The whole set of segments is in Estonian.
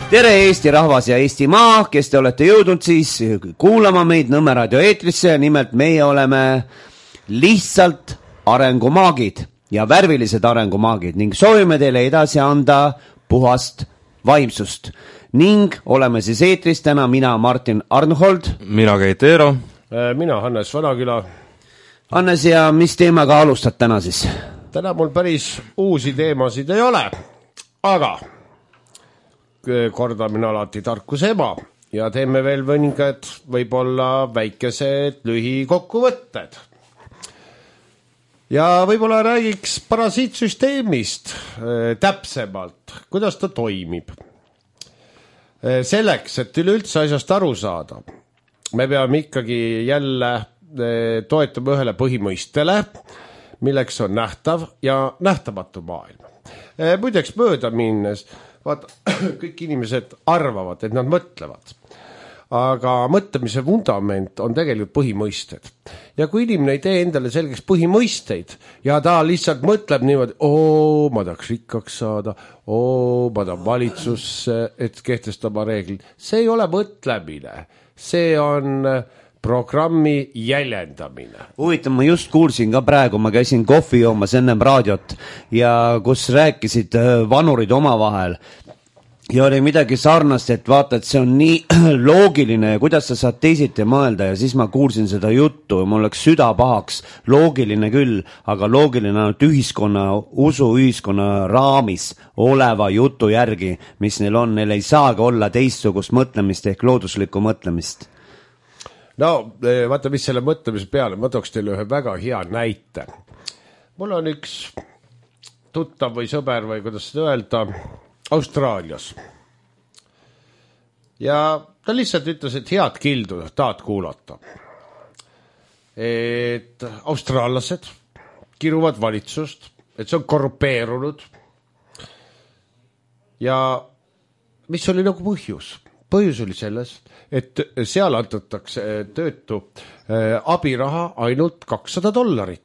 Tere Eesti rahvas ja Eesti maa, kes te olete jõudnud siis kuulama meid Nõmme raadio eetrisse ja nimelt meie oleme lihtsalt arengumaagid ja värvilised arengumaagid ning soovime teile edasi anda puhast vaimsust ning oleme siis eetris täna mina Martin Arnhold, mina Keit Eero, mina Hannes Vanaküla. Hannes, ja mis teemaga alustad täna siis? Täna mul päris uusi teemasid ei ole, aga kordamine alati tarkuse ema ja teeme veel mõningad võib-olla väikesed lühikokkuvõtted. Ja võib-olla räägiks parasiitsüsteemist täpsemalt, kuidas ta toimib. Selleks, et üleüldse asjast aru saada, me peame ikkagi jälle toetama ühele põhimõistele, milleks on nähtav ja nähtamatu maailm. Muideks mööda minnes, vaata, kõik inimesed arvavad, et nad mõtlevad. Aga mõtlemise vundament on tegelikult põhimõisted. Ja kui inimene ei tee endale selgeks põhimõisteid ja ta lihtsalt mõtleb niimoodi, ma tahaks rikkaks saada, ma tahan valitsusse, et kehtestama reeglid. See ei ole mõtlemine, see on programmi jäljendamine. Huvitav, ma just kuulsin ka praegu, ma käisin kohvi joomas ennem raadiot ja kus rääkisid vanurid omavahel. Ja oli midagi sarnast, et vaata, et see on nii loogiline ja kuidas sa saad teisiti mõelda ja siis ma kuulsin seda juttu ja mul läks süda pahaks. Loogiline küll, aga loogiline on ühiskonna, usuühiskonna raamis oleva jutu järgi, mis neil on. Neil ei saagi olla teistsugust mõtlemist ehk looduslikku mõtlemist. No, vaata, mis selle mõtlemise peale, ma tooks teile ühe väga hea näite. Mul on üks tuttav või sõber või kuidas seda öelda, Austraalias. Ja ta lihtsalt ütles, et head kildu tahad kuulata. Et austraallased kiruvad valitsust, et see on korrupeerunud. Ja mis oli nagu põhjus? Põhjus oli selles, et seal antatakse töötu abiraha ainult $200.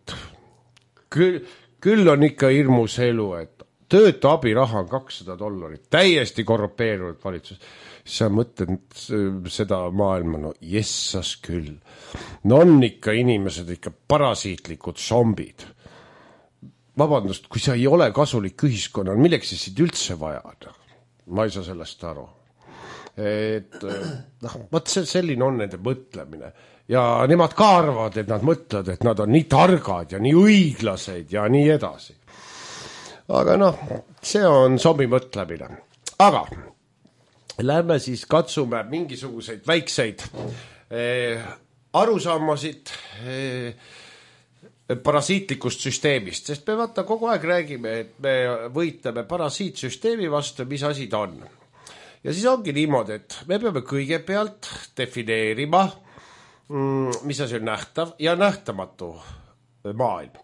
Küll on ikka hirmus elu, et töötu abiraha on $200, täiesti korrupeerunud valitsus. Sa mõtled seda maailma, no jessas küll. No on ikka inimesed ikka parasiitlikud zombid. Vabandust, kui sa ei ole kasulik ühiskonnal, milleks siis üldse vaja? Ma ei saa sellest aru. Selline on nende mõtlemine. Ja nemad ka arvavad, et nad mõtlevad, et nad on nii targad ja nii õiglased ja nii edasi. Aga see on zombi mõtlemine. Aga lähme siis katsume mingisuguseid väikseid arusaamasid parasiitlikust süsteemist, sest me vaata kogu aeg räägime, et me võitleme parasiitsüsteemi vastu, mis asi ta on. Ja siis ongi niimoodi, et me peame kõigepealt defineerima, mis asi on nähtav ja nähtamatu maailm.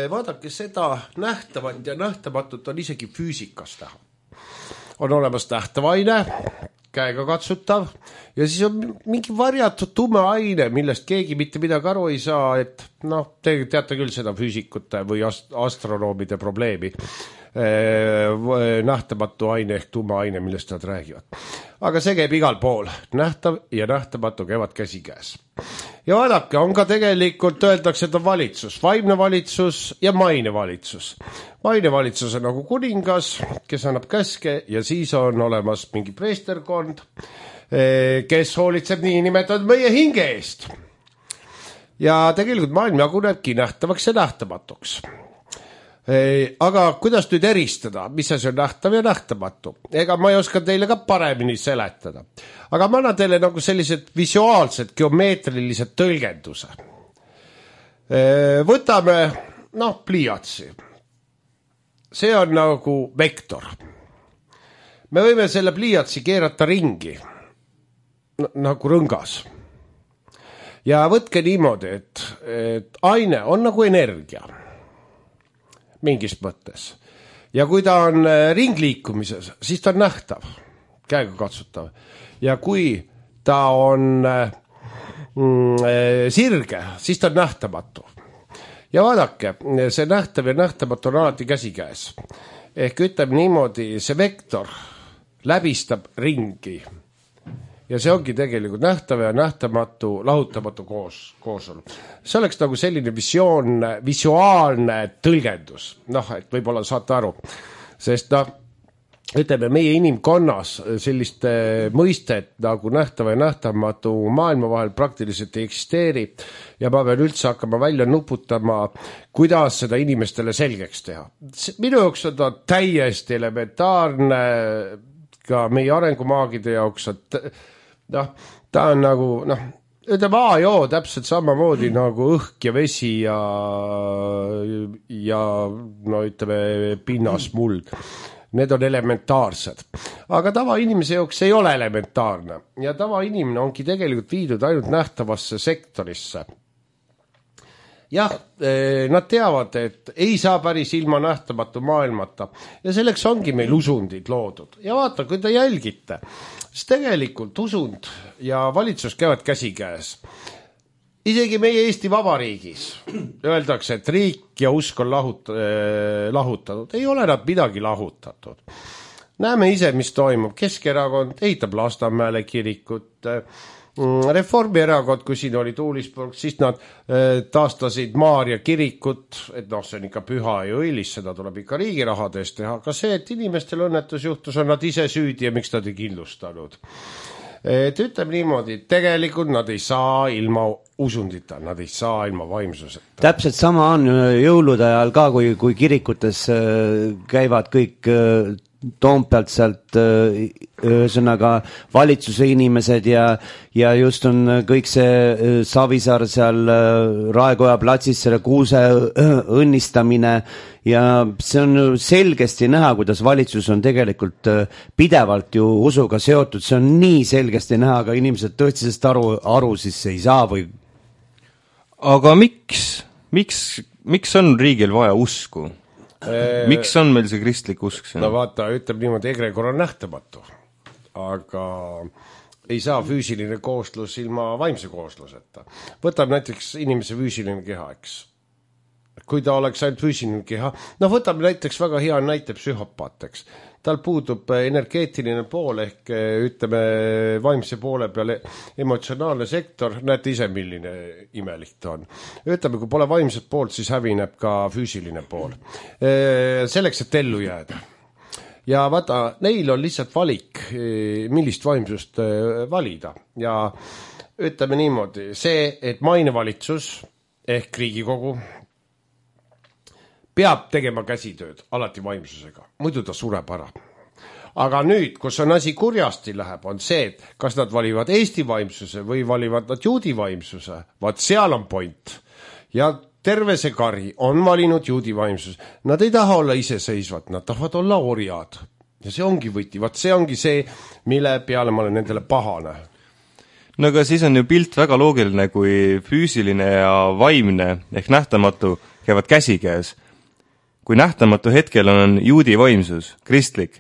Vaadake seda nähtavat ja nähtamatut on isegi füüsikas näha. On olemas nähtav aine, käega katsutav ja siis on mingi varjatud tume aine, millest keegi mitte midagi aru ei saa, et te teate küll seda füüsikute või astronoomide probleemi. Nähtamatu aine ehk tume aine, millest nad räägivad. Aga see käib igal pool. Nähtav ja nähtamatu käivad käsikäes. Ja vaadake, on ka tegelikult öeldakse, et on valitsus, vaimne valitsus ja maine valitsus. Maine valitsus on nagu kuningas, kes annab käske ja siis on olemas mingi preesterkond, kes hoolitseb nii nimetatud meie hinge eest. Ja tegelikult maailm jagunebki nähtavaks ja nähtamatuks. Aga kuidas nüüd eristada, mis asi on nähtav ja nähtamatu? Ega ma ei oska teile ka paremini seletada. Aga ma annan teile nagu sellised visuaalsed, geomeetrilised tõlgenduse. Võtame, pliiatsi. See on nagu vektor. Me võime selle pliiatsi keerata ringi, nagu rõngas. Ja võtke niimoodi, et aine on nagu energia. Mingis mõttes. Ja kui ta on ringliikumises, siis ta on nähtav, käega katsutav. Ja kui ta on sirge, siis ta on nähtamatu. Ja vaadake, see nähtav ja nähtamatu on alati käsikäes. Ehk ütleme niimoodi, see vektor läbistab ringi. Ja see ongi tegelikult nähtav ja nähtamatu, lahutamatu koosolu. See oleks nagu selline visuaalne tõlgendus. Et võib-olla saate aru. Sest ütleme, meie inimkonnas selliste mõistet nagu nähtava ja nähtamatu maailma vahel praktiliselt ei eksisteeri ja ma pean üldse hakkama välja nuputama, kuidas seda inimestele selgeks teha. Minu jaoks on ta täiesti elementaarne ka meie arengumaagide jaoks, ta on nagu, ütleme A-joo täpselt samamoodi nagu õhk ja vesi ja ütleme pinnas muld. Need on elementaarsed. Aga tavainimese jaoks ei ole elementaarne. Ja tavainimene ongi tegelikult viidud ainult nähtavasse sektorisse. Jah, nad teavad, et ei saa päris ilma nähtamatu maailmata. Ja selleks ongi meil usundid loodud. Ja vaata, kui te jälgite, siis tegelikult usund ja valitsus käivad käsikäes. Isegi meie Eesti Vabariigis öeldakse, et riik ja usk on lahutatud. Ei ole nad midagi lahutatud. Näeme ise, mis toimub. Keskerakond ehitab Lasnamäele kirikut. Reformierakond, kui siin oli Tuulisburg, siis nad taastasid Maarja kirikut, et see on ikka püha ja õilis, seda tuleb ikka riigi rahades teha. Aga see, et inimestel õnnetus juhtus, on nad ise süüdi ja miks nad ei kindlustanud. Et ütleme niimoodi, tegelikult nad ei saa ilma usundita, nad ei saa ilma vaimsuseta. Täpselt sama on jõulude ajal ka, kui kirikutes käivad kõik Toompealt sealt ühesõnaga valitsuse inimesed ja just on kõik see Savisaar seal Raekoja platsis selle kuuse õnnistamine ja see on selgesti näha, kuidas valitsus on tegelikult pidevalt ju usuga seotud, see on nii selgesti näha, aga inimesed tõestisest aru siis ei saa või. Aga miks on riigil vaja usku? Miks on meil see kristlik usk? No vaata, ütleb niimoodi, egregor on nähtamatu, aga ei saa füüsiline kooslus ilma vaimse koosluseta. Võtab näiteks inimese füüsiline keha, eks. Kui ta oleks ainult füüsiline keha, võtab näiteks väga hea näite psühhopaateks. Tal puudub energeetiline pool ehk ütleme vaimse poole peale emotsionaalne sektor, näete ise, milline imelik ta on. Ütleme, kui pole vaimset poolt, siis hävineb ka füüsiline pool. Selleks, et ellu jääda. Ja vaata, neil on lihtsalt valik, millist vaimsust valida. Ja ütleme niimoodi, see, et mainevalitsus ehk Riigikogu peab tegema käsitööd alati vaimsusega, muidu ta sureb ära. Aga nüüd, kus on asi kurjasti läheb, on see, et kas nad valivad Eesti vaimsuse või valivad nad juudi vaimsuse, vaat seal on point. Ja terve see kari on valinud juudi vaimsuse. Nad ei taha olla iseseisvad, nad tahavad olla orjad. Ja see ongi võti, vaat see ongi see, mille peale ma olen nendele pahane. No aga siis on ju pilt väga loogiline, kui füüsiline ja vaimne ehk nähtamatu käivad käsikäes. Kui nähtamatu hetkel on juudi vaimsus, kristlik,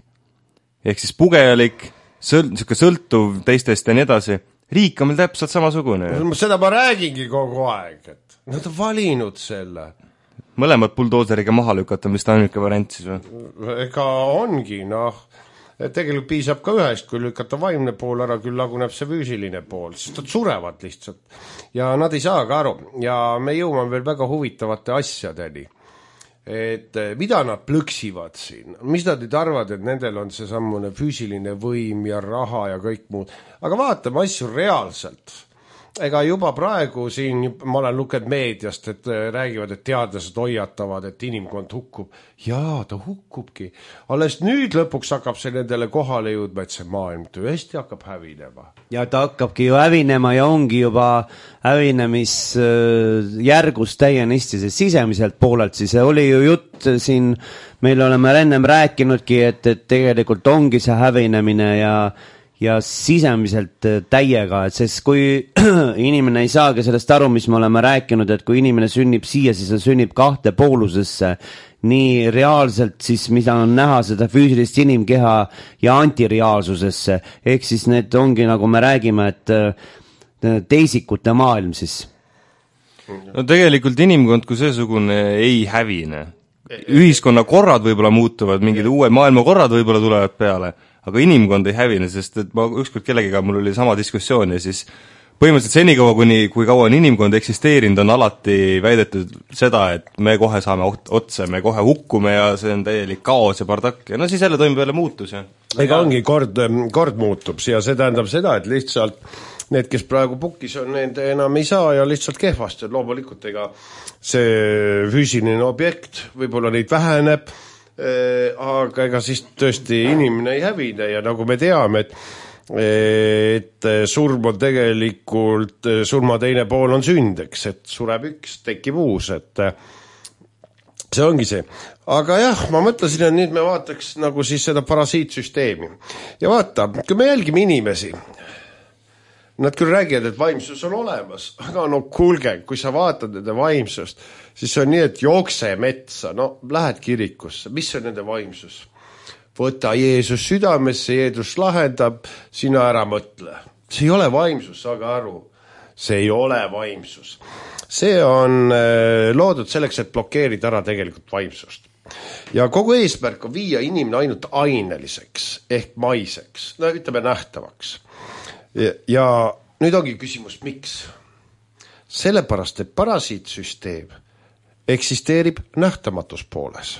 ehk siis pugejalik, sõltuv teistest ja nii edasi, riik on meil täpselt samasugune. Seda ma räägingi kogu aeg, et nad on valinud selle. Mõlemad buldooseriga maha lükata, mis ta ainuke variant siis või? Ega ongi, tegelikult piisab ka ühest, kui lükata vaimne pool ära, küll laguneb see füüsiline pool, sest nad surevad lihtsalt. Ja nad ei saa ka aru ja me jõuame veel väga huvitavate asjadeni. Et mida nad plõksivad siin, mis nad nüüd arvad, et nendel on see sammune füüsiline võim ja raha ja kõik muud, aga vaatame asju reaalselt. Ega juba praegu siin, ma olen lugenud meediast, et räägivad, et teadlased hoiatavad, et inimkond hukkub. Jaa, ta hukkubki. Alles nüüd lõpuks hakkab see nendele kohale jõudma, et see maailm tõesti hakkab hävinema. Ja ta hakkabki ju hävinema ja ongi juba hävinemisjärgus täienisti, sest sisemiselt poolelt siis oli ju jutt siin, meil oleme ennem rääkinudki, et tegelikult ongi see hävinemine ja sisemiselt täiega, et sest kui inimene ei saagi sellest aru, mis me oleme rääkinud, et kui inimene sünnib siia, siis ta sünnib kahte poolusesse, nii reaalselt siis, mida on näha seda füüsilist inimkeha ja antireaalsusesse, ehk siis need ongi, nagu me räägime, et teisikute maailm siis. No tegelikult inimkond kui seesugune ei hävine. Ühiskonna korrad võib-olla muutuvad, mingid uued maailmakorrad võib-olla tulevad peale, aga inimkond ei hävine, sest et ma ükskord kellegiga, mul oli sama diskussioon ja siis põhimõtteliselt senikaua, kui kaua on inimkond eksisteerinud, on alati väidetud seda, et me kohe saame otsa, me kohe hukkume ja see on täielik kaos ja bardakk ja no siis jälle toimub jälle muutus ja ega ongi kord muutub ja see tähendab seda, et lihtsalt need, kes praegu pukis on, need enam ei saa ja lihtsalt kehvast, et loomulikult ega see füüsiline objekt võib-olla neid väheneb, aga ega siis tõesti inimene ei hävine ja nagu me teame, et surm on tegelikult, surma teine pool on sünd, eks, et sureb üks, tekib uus, et see ongi see. Aga jah, ma mõtlesin, et nüüd me vaataks nagu siis seda parasiitsüsteemi. Ja vaata, kui me jälgime inimesi, nad küll räägivad, et vaimsus on olemas, aga no kuulge, kui sa vaatad nende vaimsust, siis on nii, et jookse metsa, no lähed kirikusse, mis on nende vaimsus? Võta Jeesus südamesse, Jeesus lahendab, sina ära mõtle. See ei ole vaimsus, saage aru. See ei ole vaimsus. See on loodud selleks, et blokeerida ära tegelikult vaimsust. Ja kogu eesmärk on viia inimene ainult aineliseks ehk maiseks, no ütleme nähtavaks. Ja nüüd ongi küsimus, miks? Sellepärast, et parasiitsüsteem eksisteerib nähtamatus pooles.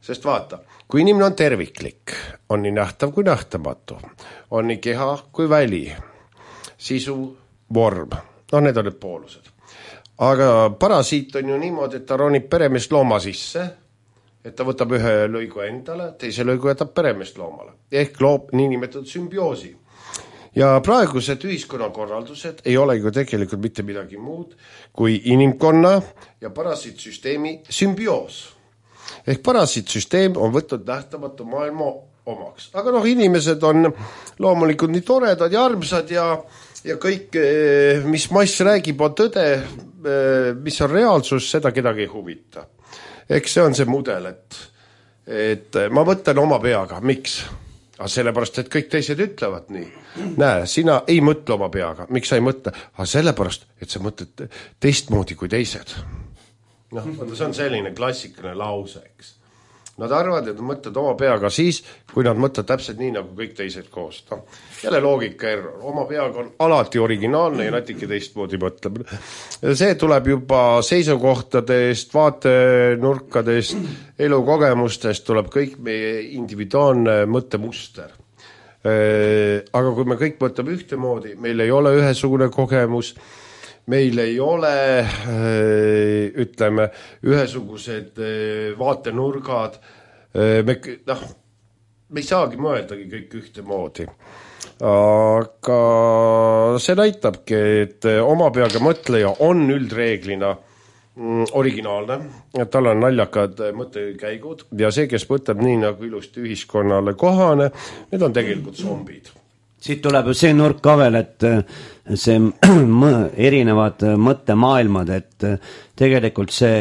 Sest vaata, kui inimene on terviklik, on nii nähtav kui nähtamatu, on nii keha kui väli, sisu, vorm, no need on need poolused. Aga parasiit on ju niimoodi, et ta ronib peremeest looma sisse, et ta võtab ühe lõigu endale, teise lõigu jätab peremeest loomale, ehk loob niinimetatud sümbioosi. Ja praegused ühiskonnakorraldused ei ole ju tegelikult mitte midagi muud kui inimkonna ja parasiitsüsteemi sümbioos. Ehk parasiitsüsteem on võtnud nähtamatu maailma omaks. Aga noh, inimesed on loomulikult nii toredad ja armsad ja kõik, mis mass räägib, on tõde, mis on reaalsus, seda kedagi ei huvita. Eks see on see mudel, et ma mõtlen oma peaga. Miks? Sellepärast, et kõik teised ütlevad nii. Näe, sina ei mõtle oma peaga. Miks sa ei mõtle? Sellepärast, et sa mõtled teistmoodi kui teised. No, see on selline klassikaline lause, eks. Nad arvavad, et nad mõtlevad oma peaga siis, kui nad mõtlevad täpselt nii, nagu kõik teised koos. No, jälle loogika error. Oma peaga on alati originaalne ja natuke teistmoodi mõtleb. See tuleb juba seisukohtadest, vaatenurkadest, elukogemustest, tuleb kõik meie individuaalne mõttemuster. Aga kui me kõik mõtleme ühtemoodi, meil ei ole ühesugune kogemus, meil ei ole, ütleme, ühesugused vaatenurgad, me ei saagi mõeldagi kõik ühtemoodi. Aga see näitabki, et oma peaga mõtleja on üldreeglina originaalne, tal on naljakad mõttekäigud ja see, kes mõtleb nii nagu ilusti ühiskonnale kohane, need on tegelikult zombid. Siit tuleb ju see nurk ka veel, et see erinevad mõttemaailmad, et tegelikult see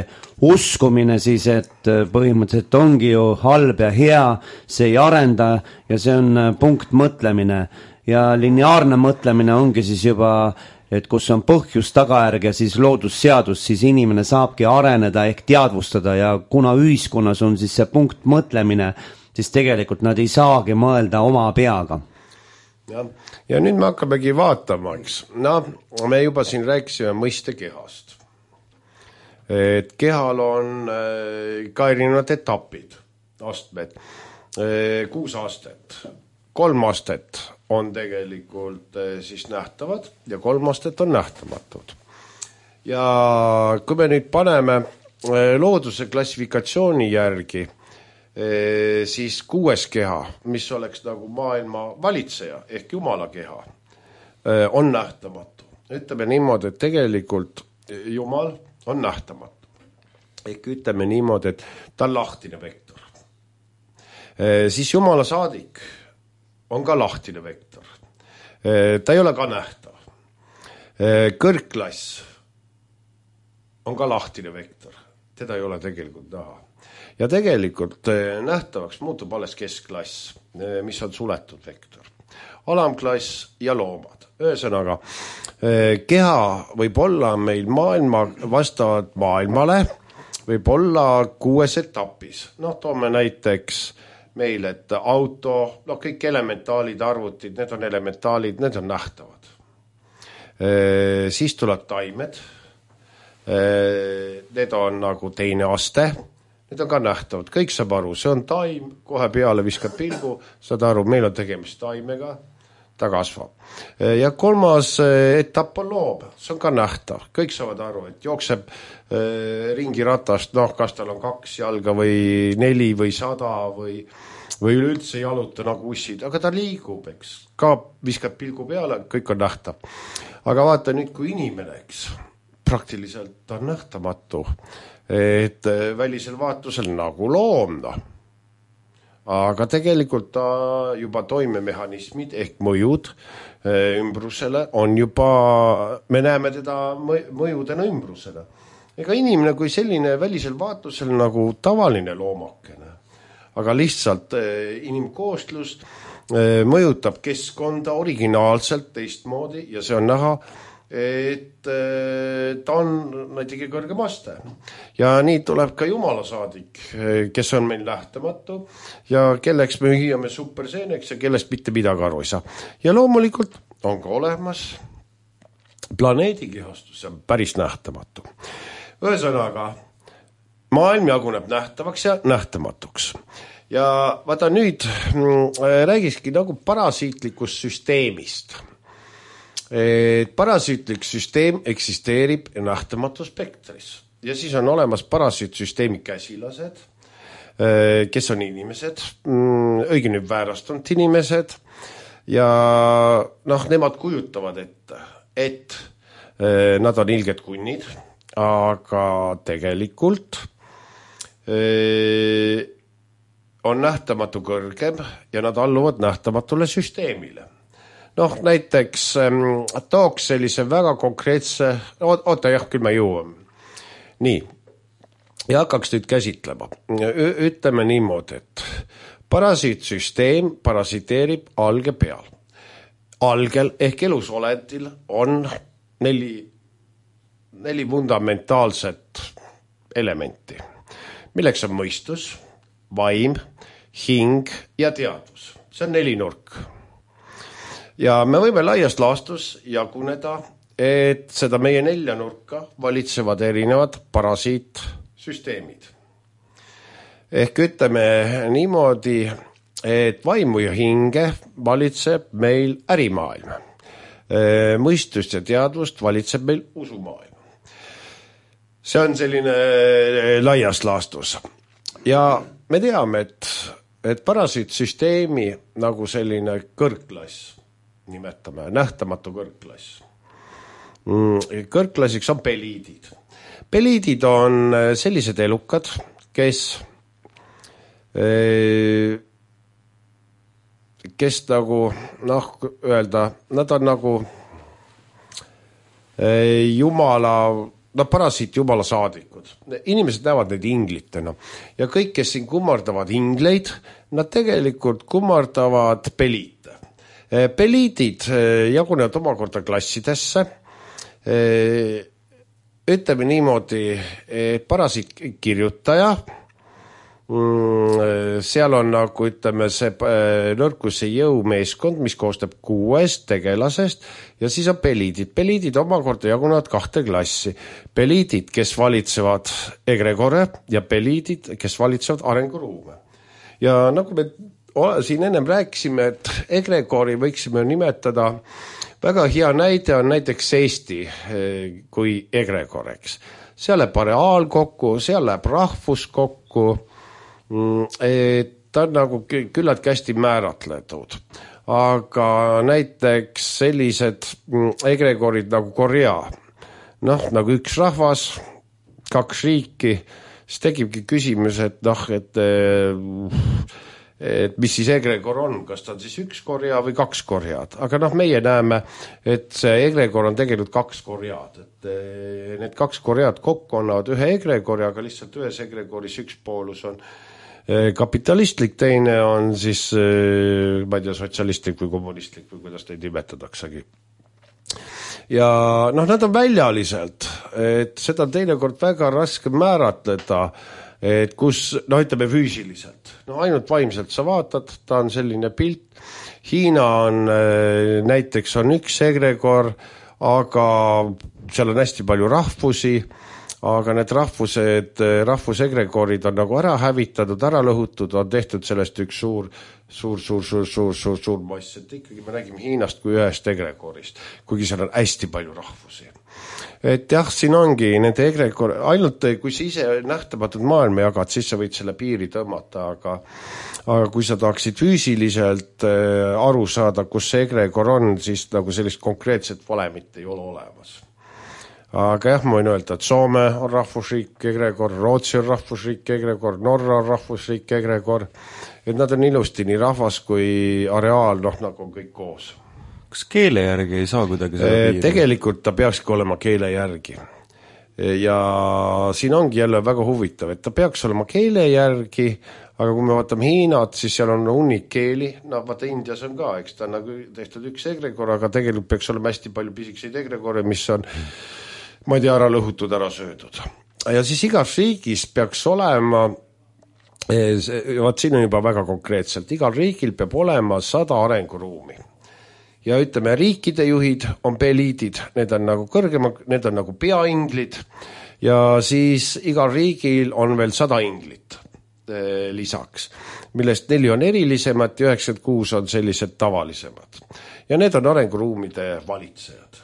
uskumine siis, et põhimõtteliselt ongi ju halb ja hea, see ei arenda ja see on punkt mõtlemine ja lineaarne mõtlemine ongi siis juba, et kus on põhjus, tagajärg ja siis loodusseadus, siis inimene saabki areneda ehk teadvustada ja kuna ühiskonnas on siis see punkt mõtlemine, siis tegelikult nad ei saagi mõelda oma peaga. Ja nüüd me hakkamegi vaatama, eks. No, me juba siin rääkisime mõiste kehast. Et kehal on ka erinevad etapid, astmed. 6 astet, 3 astet on tegelikult siis nähtavad ja 3 astet on nähtamatud. Ja kui me nüüd paneme looduse klassifikatsiooni järgi, siis 6. keha, mis oleks nagu maailma valitseja ehk Jumala keha, on nähtamatu. Ütleme niimoodi, et tegelikult Jumal on nähtamatu. Ehk ütleme niimoodi, et ta on lahtine vektor. Siis Jumala saadik on ka lahtine vektor. Ta ei ole ka nähtav. Kõrgklass on ka lahtine vektor. Teda ei ole tegelikult näha. Ja tegelikult nähtavaks muutub alles keskklass, mis on suletud vektor. Alamklass ja loomad. Ühesõnaga, keha võib olla meil maailma vastavalt maailmale, võib olla 6 etapis. Noh, toome näiteks meil, et auto, kõik elementaalid, arvutid, need on elementaalid, need on nähtavad. Siis tuleb taimed, need on nagu teine aste, need on ka nähtavad, kõik saab aru, see on taim, kohe peale viskab pilgu, saad aru, meil on tegemist taimega, ta kasvab. Ja kolmas etapp on loom, see on ka nähtav, kõik saavad aru, et jookseb ringiratast, kas tal on 2 jalga või 4 või 100 või üleüldse jaluta nagu ussid, aga ta liigub, eks, ka viskab pilgu peale, kõik on nähtav. Aga vaata nüüd, kui inimene, eks, praktiliselt on nähtamatu, et välisel vaatusel nagu loom, aga tegelikult ta juba toimemehhanismid ehk mõjud ümbrusele on juba, me näeme teda mõjudena ümbrusele. Ega inimene kui selline välisel vaatusel nagu tavaline loomakene, aga lihtsalt inimkoostlus mõjutab keskkonda originaalselt teistmoodi ja see on näha, et ta on näiteks kõrgem aste. Ja nii tuleb ka Jumala saadik, kes on meil nähtamatu ja kelleks me hüüame superseeneks ja kellest mitte midagi aru ei saa. Ja loomulikult on ka olemas planeedikehastus, see on päris nähtamatu. Ühesõnaga, maailm jaguneb nähtavaks ja nähtamatuks. Ja vaata nüüd räägiski nagu parasiitlikust süsteemist. Parasiitlik süsteem eksisteerib nähtamatu spektris ja siis on olemas parasiitsüsteemi käsilased, kes on inimesed, õigemini väärastunud inimesed ja nemad kujutavad ette, et nad on ilged kunnid, aga tegelikult on nähtamatu kõrgem ja nad alluvad nähtamatule süsteemile. Näiteks tooks sellise väga konkreetse, küll me jõuame. Nii, ja hakkaks nüüd käsitlema. Ütleme niimoodi, et parasiitsüsteem parasiteerib alge peal. Algel ehk elusolendil on 4 fundamentaalset elementi, milleks on mõistus, vaim, hing ja teadvus. See on 4 nurk. Ja me võime laias laastus jaguneda, et seda meie 4 nurka valitsevad erinevad parasiitsüsteemid. Ehk ütleme niimoodi, et vaimu ja hinge valitseb meil ärimaailm. Mõistust ja teadvust valitseb meil usumaailm. See on selline laias laastus. Ja me teame, et parasiitsüsteemi nagu selline kõrgklass, nimetame nähtamatu kõrgklass. Kõrgklassiks on peliidid. Peliidid on sellised elukad, kes nagu, öelda, nad on nagu jumala, parasiit jumala saadikud. Inimesed näevad neid inglitena ja kõik, kes siin kummardavad ingleid, nad tegelikult kummardavad peliite. Peliidid jagunevad omakorda klassidesse. Ütleme niimoodi, parasiit kirjutaja, seal on nagu ütleme see nõrkuse jõumeeskond, mis koostab 6 tegelasest ja siis on peliidid. Peliidid omakorda jagunevad 2 klassi. Peliidid, kes valitsevad egregore ja peliidid, kes valitsevad arenguruume. Ja nagu me siin ennem rääkisime, et egregori võiksime nimetada, väga hea näide on näiteks Eesti kui egregoreks. Seal läheb areaal kokku, seal läheb rahvus kokku, ta on nagu küllaltki hästi määratletud. Aga näiteks sellised egregorid nagu Korea, nagu üks rahvas, 2 riiki, siis tekibki küsimus, et mis siis egregor on, kas ta on siis 1 Korea või 2 Koread. Aga meie näeme, et see egregor on tegelikult 2 Koread. Et need 2 Koread kokku annavad 1 egregori, aga lihtsalt ühes egregoris üks poolus on kapitalistlik, teine on siis, ma ei tea, sotsialistlik või kommunistlik või kuidas neid nimetadaksegi. Ja nad on väljaliselt, et seda on teinekord väga raske määratleda, et kus, ütleme füüsiliselt, ainult vaimselt sa vaatad, ta on selline pilt. Hiina on, näiteks on üks egregor, aga seal on hästi palju rahvusi, aga need rahvusegregorid on nagu ära hävitatud, ära lõhutud, on tehtud sellest üks suur mass, et ikkagi me nägime Hiinast kui ühest egregorist, kuigi seal on hästi palju rahvusi. Et jah, siin ongi nende egregor, ainult kui sa ise nähtamatud maailma jagad, siis sa võid selle piiri tõmmata, aga kui sa tahaksid füüsiliselt aru saada, kus see egregor on, siis nagu sellist konkreetset valemit ei ole olemas. Aga jah, ma võin öelda, et Soome on rahvusriik egregor, Rootsi on rahvusriik egregor, Norra on rahvusriik egregor, et nad on ilusti nii rahvas kui areaal, nagu on kõik koos. Kas keele järgi ei saa kuidagi seda piiri? Tegelikult ta peakski olema keele järgi. Ja siin ongi jälle väga huvitav, et ta peaks olema keele järgi, aga kui me vaatame Hiinat, siis seal on hunnik keeli, vaata Indias on ka, eks ta on nagu tehtud üks egregor, aga tegelikult peaks olema hästi palju pisikseid egregore, mis on, ma ei tea, ära lõhutud, ära söödud. Ja siis igas riigis peaks olema, siin on juba väga konkreetselt, igal riigil peab olema 100 arenguruumi. Ja ütleme, riikide juhid on peliidid, need on nagu kõrgema, need on nagu peainglid ja siis igal riigil on veel 100 inglit lisaks, millest 4 on erilisemad ja 96 on sellised tavalisemad. Ja need on arenguruumide valitsejad.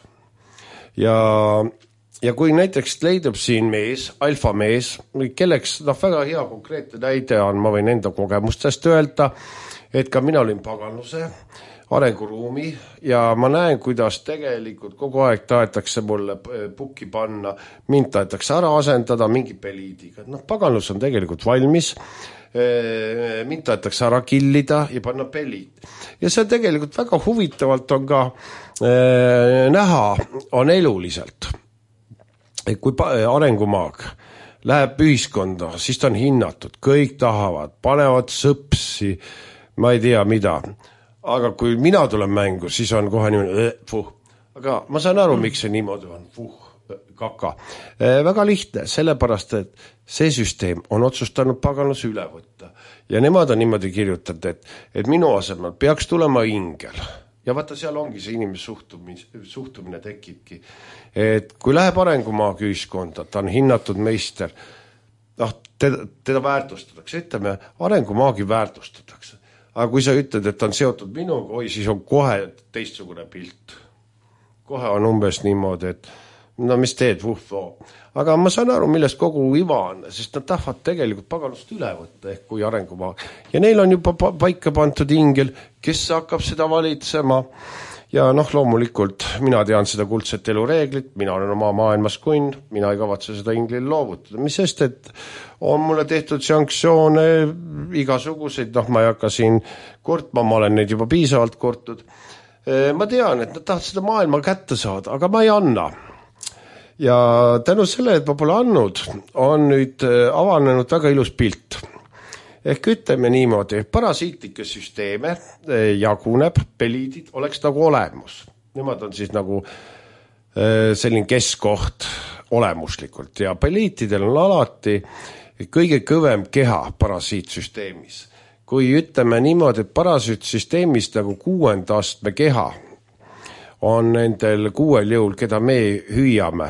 Ja kui näiteks leidub siin mees, alfamees, kelleks väga hea konkreetne näide on, ma võin enda kogemustest öelda, et ka mina olin paganluse arenguruumi ja ma näen, kuidas tegelikult kogu aeg tahetakse mulle pukki panna, mind tahetakse ära asendada mingi peliidiga. Paganlus on tegelikult valmis, mind tahetakse ära killida ja panna peliid. Ja see tegelikult väga huvitavalt on ka näha, on eluliselt. Kui arengumaag läheb ühiskonda, siis ta on hinnatud, kõik tahavad, panevad sõpsi, ma ei tea mida. Aga kui mina tulen mängu, siis on kohe niimoodi, Aga ma saan aru, miks see niimoodi on, kaka. Väga lihtne, sellepärast, et see süsteem on otsustanud paganlus üle võtta. Ja nemad on niimoodi kirjutanud, et minu asemel peaks tulema ingel. Ja vaata, seal ongi see inimese suhtumine tekibki. Et kui läheb arengumaag ühiskonda, ta on hinnatud meister, teda väärtustatakse, ütleme, arengumaagi väärtustatakse. Aga kui sa ütled, et on seotud minuga, siis on kohe teistsugune pilt. Kohe on umbes niimoodi, et mis teed, Aga ma saan aru, millest kogu iva on, sest nad tahavad tegelikult paganlust üle võtta, ehk kui arengumaag. Ja neil on juba paika pantud ingel, kes hakkab seda valitsema. Ja loomulikult mina tean seda kuldset elureeglit, mina olen oma maailmas kunn, mina ei kavatse seda inglil loovutada. Mis sest, et on mulle tehtud sanktsioone igasuguseid, ma ei hakka siin kurtma, ma olen neid juba piisavalt kurtud. Ma tean, et nad tahavad seda maailma kätte saada, aga ma ei anna. Ja tänu selle, et ma pole andnud, on nüüd avanenud väga ilus pilt. Ehk ütleme niimoodi, parasiitlikke süsteeme jaguneb, peliidid oleks nagu olemus. Nemad on siis nagu selline keskkoht olemuslikult ja peliitidel on alati kõige kõvem keha parasiitsüsteemis. Kui ütleme niimoodi, et parasiitsüsteemis nagu 6. astme keha on nendel 6 jõul, keda me hüüame,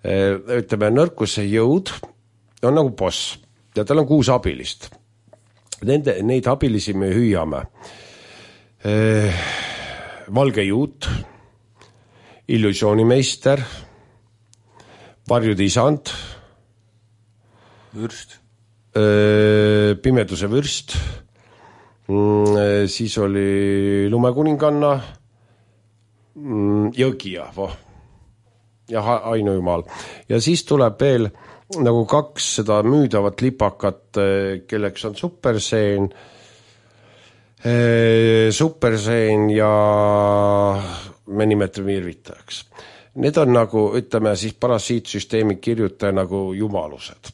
ütleme nõrkuse jõud on nagu boss ja tal on 6 abilist. Neid abilisi me hüüame. Valge juut, illusioonimeister, varjude isand, vürst, pimeduse vürst, siis oli lumekuninganna, jõgija, ja ainujumal. Ja siis tuleb veel nagu 2 seda müüdavat lipakat, kelleks on superseen ja me nimetame irvitajaks. Need on nagu, ütleme siis parasiitsüsteemi kirjutaja nagu jumalused.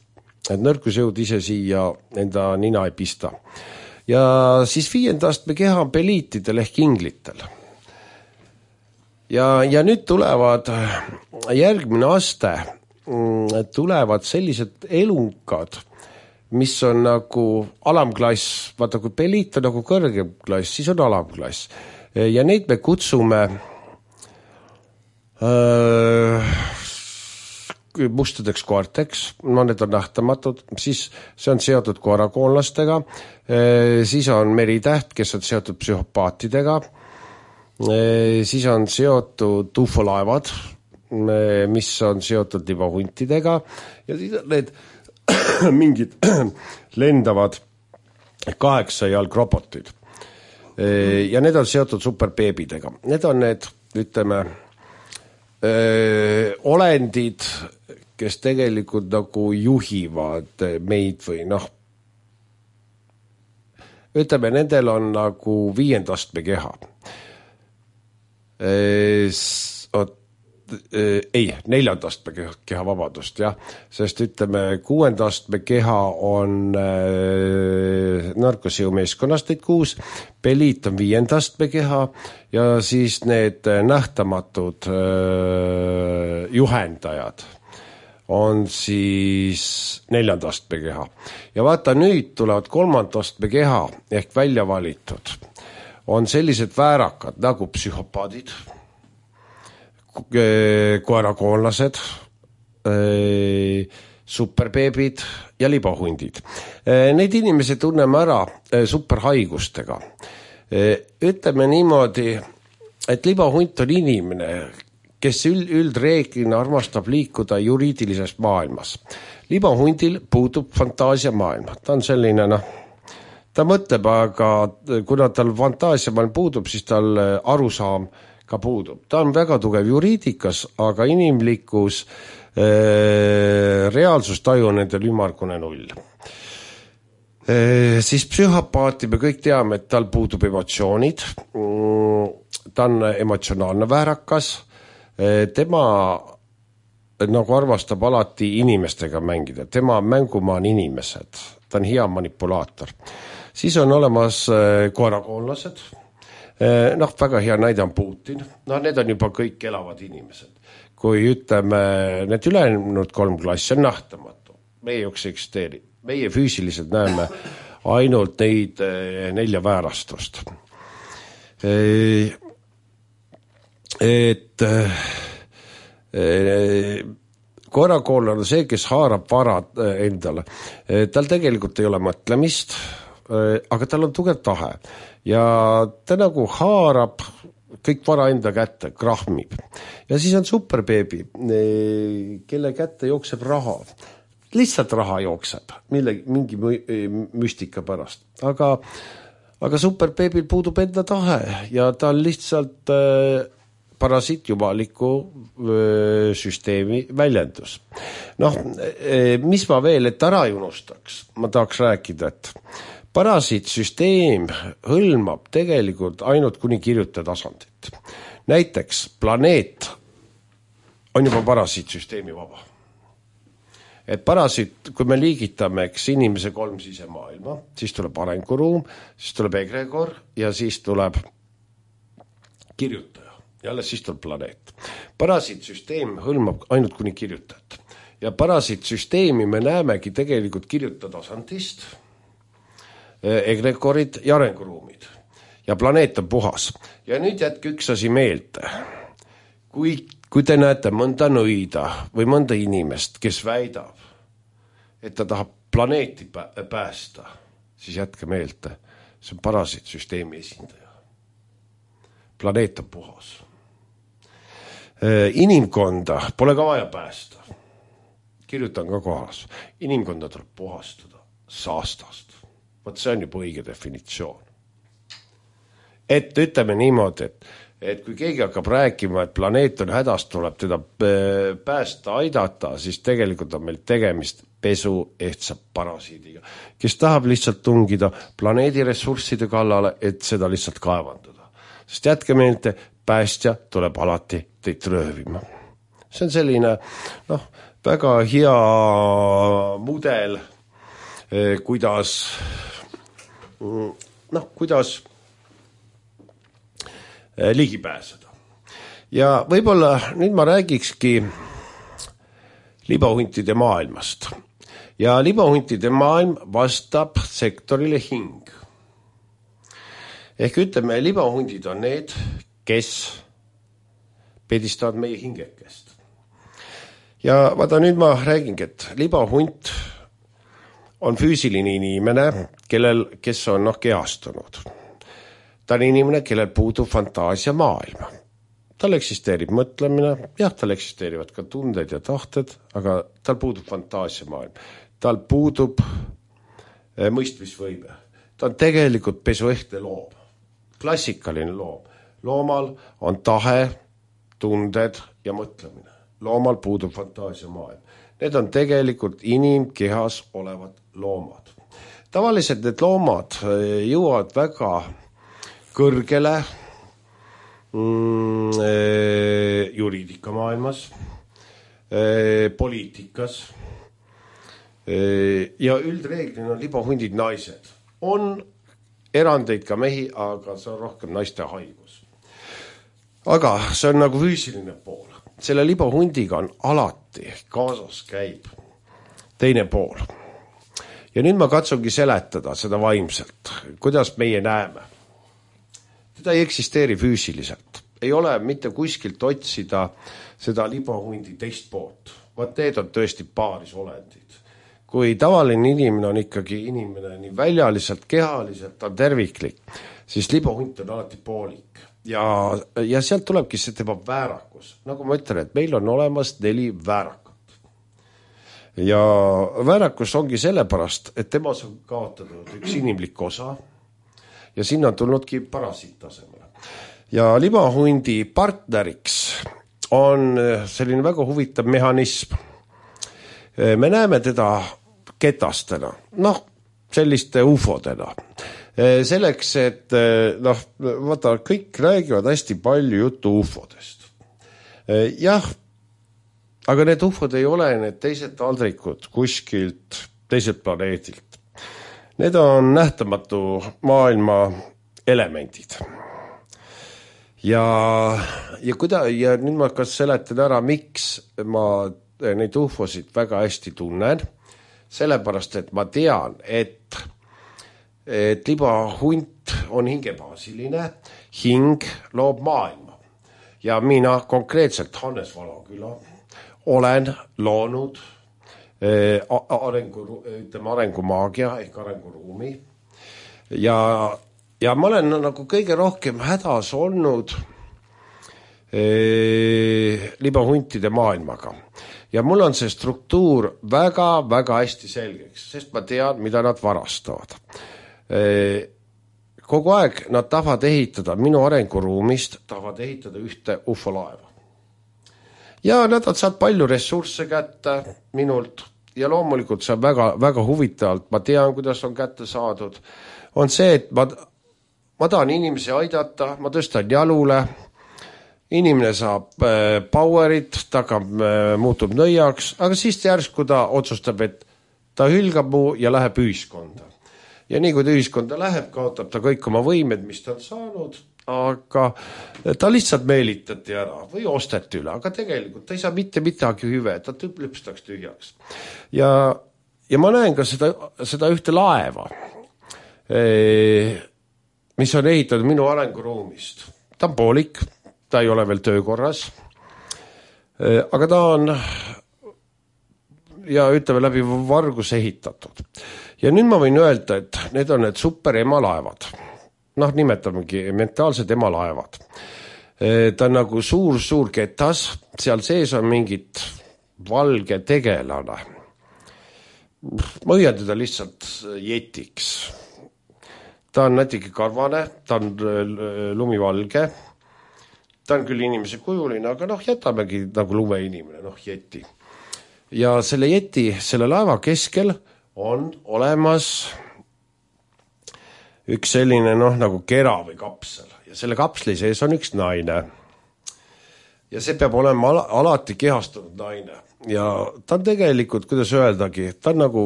Et nõrkusjõud ise siia enda nina ei pista. Ja siis 5. astme keha on peliitidel ehk inglitel. Ja nüüd tulevad järgmine aste, tulevad sellised elunkad, mis on nagu alamklass, vaata kui peliit on nagu kõrgem klass, siis on alamklass. Ja neid me kutsume mustadeks koerteks, no need on nähtamatud, siis see on seotud koerakoonlastega, siis on meritäht, kes on seotud psühhopaatidega, siis on seotud ufolaevad, mis on seotud libahuntidega ja siis on need mingid lendavad 8 jalgrobotid. Ja need on seotud superbeebidega. Need on need, ütleme, olendid, kes tegelikult nagu juhivad meid või noh, ütleme, nendel on nagu 5. astme keha. Ei, 4. astme keha, vabadust, jah, sest ütleme, 6. astme keha on narkosiu meeskonnast neid 6, peliit on 5. astme keha ja siis need nähtamatud juhendajad on siis 4. astme keha. Ja vaata, nüüd tulevad 3. astme keha ehk välja valitud. On sellised väärakad nagu psühhopaadid, koerakoonlased, superbeebid ja libahundid. Neid inimesi tunneme ära superhaigustega. Ütleme niimoodi, et libahunt on inimene, kes üldreeglina armastab liikuda juriidilises maailmas. Libahundil puudub fantaasia maailma. Ta on selline, ta mõtleb, aga kuna tal fantaasia maailm puudub, siis tal arusaam ka puudub. Ta on väga tugev juriidikas, aga inimlikus reaalsustaju nendel ümargune 0. Siis psühhopaati me kõik teame, et tal puudub emotsioonid. Ta on emotsionaalne väärakas. Tema nagu armastab alati inimestega mängida. Tema mängumaa on inimesed. Ta on hea manipulaator. Siis on olemas koerakoonlased. Väga hea näide on Putin. Need on juba kõik elavad inimesed. Kui ütleme, need ülejäänud 3 klassi on nähtamatu. Meie jookse eksisteeri. Meie füüsiliselt näeme ainult neid 4 väärastust. Et koerakoonlane on see, kes haarab varad endale. Tal tegelikult ei ole mõtlemist, aga tal on tugev tahe. Ja ta nagu haarab kõik vara enda kätte, krahmib. Ja siis on superbeebi, kelle kätte jookseb raha. Lihtsalt raha jookseb, mingi müstika pärast. Aga superbeebil puudub enda tahe ja ta on lihtsalt parasiitjumaliku süsteemi väljendus. Mis ma veel, et ära ei unustaks, ma tahaks rääkida, et parasiitsüsteem hõlmab tegelikult ainult kuni kirjutaja tasandit. Näiteks planeet on juba parasiitsüsteemi vaba. Et parasiit, kui me liigitame inimese 3 sisemaailma, siis tuleb arenguruum, siis tuleb egregor ja siis tuleb kirjutaja. Ja alles siis tuleb planeet. Parasiitsüsteem hõlmab ainult kuni kirjutajat. Ja parasiitsüsteemi me näemegi tegelikult kirjutaja tasandist, egregorid ja arenguruumid. Ja planeet on puhas. Ja nüüd jätke üks asi meelde. Kui te näete mõnda nõida või mõnda inimest, kes väidab, et ta tahab planeeti päästa, siis jätke meelde, see on parasiitsüsteemi esindaja. Planeet on puhas. Inimkonda pole ka vaja päästa. Kirjutan ka kohas. Inimkonda tuleb puhastada saastast. Võt see on juba õige definitsioon. Et ütleme niimoodi, et kui keegi hakkab rääkima, et planeet on hädas, tuleb teda päästa, aidata, siis tegelikult on meil tegemist pesu ehtsa parasiidiga, kes tahab lihtsalt tungida planeedi ressursside kallale, et seda lihtsalt kaevandada. Sest jätke meelde, päästja tuleb alati teid röövima. See on selline väga hea mudel, kuidas ligi pääseda. Ja võib-olla nüüd ma räägikski libahuntide maailmast. ja libahuntide maailm vastab sektorile hing. Ehk ütleme, libahundid on need, kes pedistavad meie hingekest. Ja vaata, nüüd ma räägingi, et libahunt on füüsiline inimene, kes on kehastunud. Ta on inimene, kellel puudub fantaasia maailma. Tal eksisteerib mõtlemine, jah, tal eksisteerivad ka tunded ja tahted, aga tal puudub fantaasia maailm. Tal puudub mõistmisvõime. Ta on tegelikult pesuehtne loom. Klassikaline loom. Loomal on tahe, tunded ja mõtlemine. Loomal puudub fantaasia maailm. Need on tegelikult inimkehas olevad loomad. Tavaliselt need loomad jõuavad väga kõrgele juriidika maailmas, poliitikas ja üldreeglina on libahundid naised. On erandeid ka mehi, aga see on rohkem naiste haigus. Aga see on nagu füüsiline pool. Selle libahundiga on alati kaasas käib teine pool. Ja nüüd ma katsungi seletada seda vaimselt, kuidas meie näeme. Teda ei eksisteeri füüsiliselt. Ei ole mitte kuskilt otsida seda libahundi teist poolt. Vaat need on tõesti paaris olendid. Kui tavaline inimene on ikkagi inimene nii väljaliselt, kehaliselt, on terviklik, siis libahunt on alati poolik. Ja sealt tulebki see tema väärakus. Nagu ma ütlen, et meil on olemas 4 väärakat. Ja väärakus ongi sellepärast, et temas on kaotatud üks inimlik osa ja sinna on tulnudki parasiittasemele. Ja libahundi partneriks on selline väga huvitav mehhanism. Me näeme teda ketastena, selliste ufodena. Selleks, et vaata, kõik räägivad hästi palju juttu ufodest. Jah, aga need ufod ei ole need teised taldrikud kuskilt teiselt planeedilt. Need on nähtamatu maailma elemendid. Ja nüüd ma kas seletan ära, miks ma neid ufosid väga hästi tunnen. Sellepärast, et ma tean, et libahunt on hingebaasiline, hing loob maailma. Ja mina konkreetselt Hannes Valaküla olen loonud arengumaagia ehk arenguruumi ja ma olen nagu kõige rohkem hädas olnud libahuntide maailmaga ja mul on see struktuur väga hästi selgeks, sest ma tean, mida nad varastavad. Kogu aeg nad tahavad ehitada minu arenguruumist, tahavad ehitada ühte ufolaeva. Ja nad on saanud palju ressursse kätte minult ja loomulikult see on väga huvitavalt, ma tean, kuidas on kätte saadud, on see, et ma tahan inimesi aidata, ma tõstan jalule, inimene saab powerit, ta muutub nõiaks, aga siis järsku ta otsustab, et ta hülgab mu ja läheb ühiskonda. Ja nii kui ta ühiskonda läheb, kaotab ta kõik oma võimed, mis ta on saanud, aga ta lihtsalt meelitati ära või osteti üle, aga tegelikult ta ei saa mitte midagi hüve, ta lüpstaks tühjaks. Ja ma näen ka seda ühte laeva, mis on ehitatud minu arenguruumist. Ta on poolik, ta ei ole veel töökorras, aga ta on ja ütleme läbi vargus ehitatud. Ja nüüd ma võin öelda, et need on need super emalaevad. Nimetamegi mentaalsed emalaevad. Ta on nagu suur ketas, seal sees on mingit valge tegelane. Ma õian teda lihtsalt jetiks. Ta on natuke karvane, ta on lumivalge, ta on küll inimese kujuline, aga jätamegi nagu lumeinimene, jeti. Ja selle jeti, selle laeva keskel on olemas üks selline nagu kera või kapsel ja selle kapsli sees on üks naine. Ja see peab olema alati kehastunud naine ja ta on tegelikult, kuidas öeldagi, ta on nagu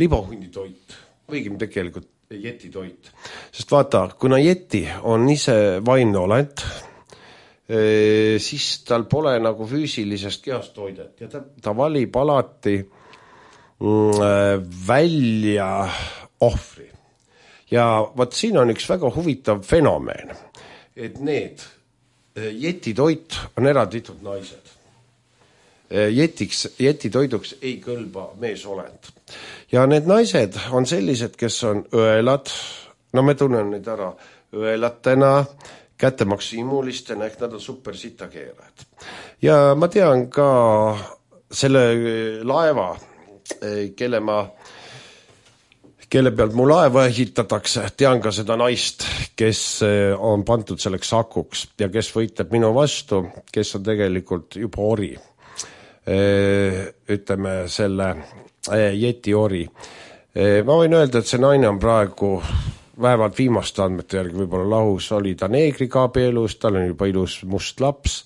libahundi toit, võigim tegelikult jeti toit. Sest vaata, kuna jeti on ise vaimne olend, siis tal pole nagu füüsilisest kehast toidet ja ta valib alati välja ohvri. Ja vot siin on üks väga huvitav fenomen, et need jetitoit on eralditud naised. Jetitoiduks ei kõlba meesolend. Ja need naised on sellised, kes on õelad, no me tunnen neid ära õelatena, kättemaksimulistena, ehk nad on super sitakeerajad. Ja ma tean ka selle laeva, kelle pealt mu laeva ehitatakse, tean ka seda naist, kes on pandud selleks akuks ja kes võitleb minu vastu, kes on tegelikult juba ori. Ütleme selle jeti ori. Ma võin öelda, et see naine on praegu vähemalt viimaste andmete järgi võib-olla lahus, oli ta neegriga abielus, tal on juba ilus must laps,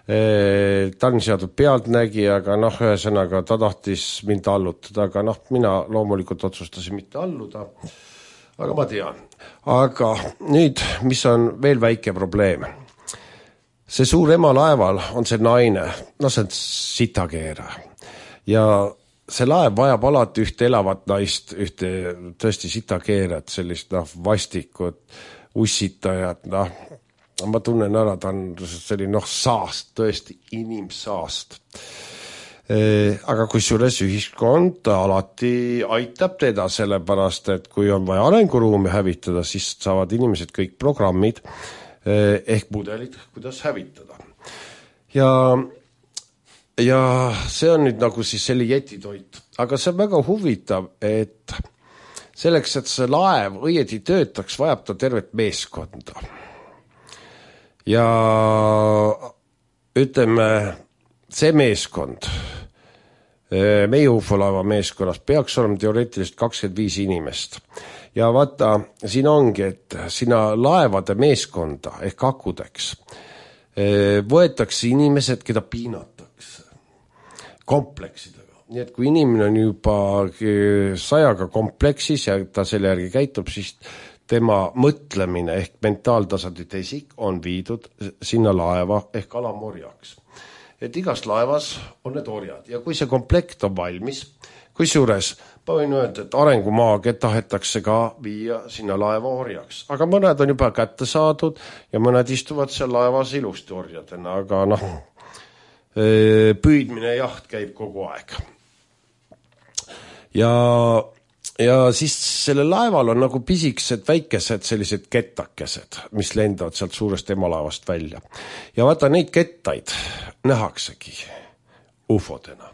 ta on seatud pealtnägija, aga ühesõnaga ta tahtis mind allutada, aga mina loomulikult otsustasin mitte alluda, aga ma tean. Aga nüüd, mis on veel väike probleem? See suur ema laeval on see naine, see on sitakeera ja see laev vajab alati ühte elavat naist, ühte tõesti sitakeerat, sellist vastikut, ussitajat, ma tunnen ära, ta on selline saast, tõesti inimsaast. Aga kusjuures ühiskond alati aitab teda, sellepärast, et kui on vaja arenguruumi hävitada, siis saavad inimesed kõik programmid ehk mudelid, kuidas hävitada. Ja see on nüüd nagu siis selle jetitoit. Aga see on väga huvitav, et selleks, et see laev õieti töötaks, vajab ta tervet meeskonda. Ja ütleme, see meeskond, meie UFO-laeva meeskonnas peaks olema teoreetiliselt 25 inimest. Ja vaata, siin ongi, et sinna laevade meeskonda ehk akudeks võetakse inimesed, keda piinatakse kompleksidega. Nii et kui inimene on juba 100 kompleksis ja ta selle järgi käitub, siis tema mõtlemine ehk mentaaltasandi tesik on viidud sinna laeva ehk alamorjaks. Et igas laevas on need orjad ja kui see komplekt on valmis, kusjuures ma võin öelda, et arengumaagi tahetakse ka viia sinna laeva orjaks. Aga mõned on juba kätte saadud ja mõned istuvad seal laevas ilusti orjadena, aga püüdmine jaht käib kogu aeg. Ja siis selle laeval on nagu pisikesed väikesed sellised kettakesed, mis lendavad sealt suurest emalaevast välja. Ja vaata, neid kettaid nähaksegi ufodena.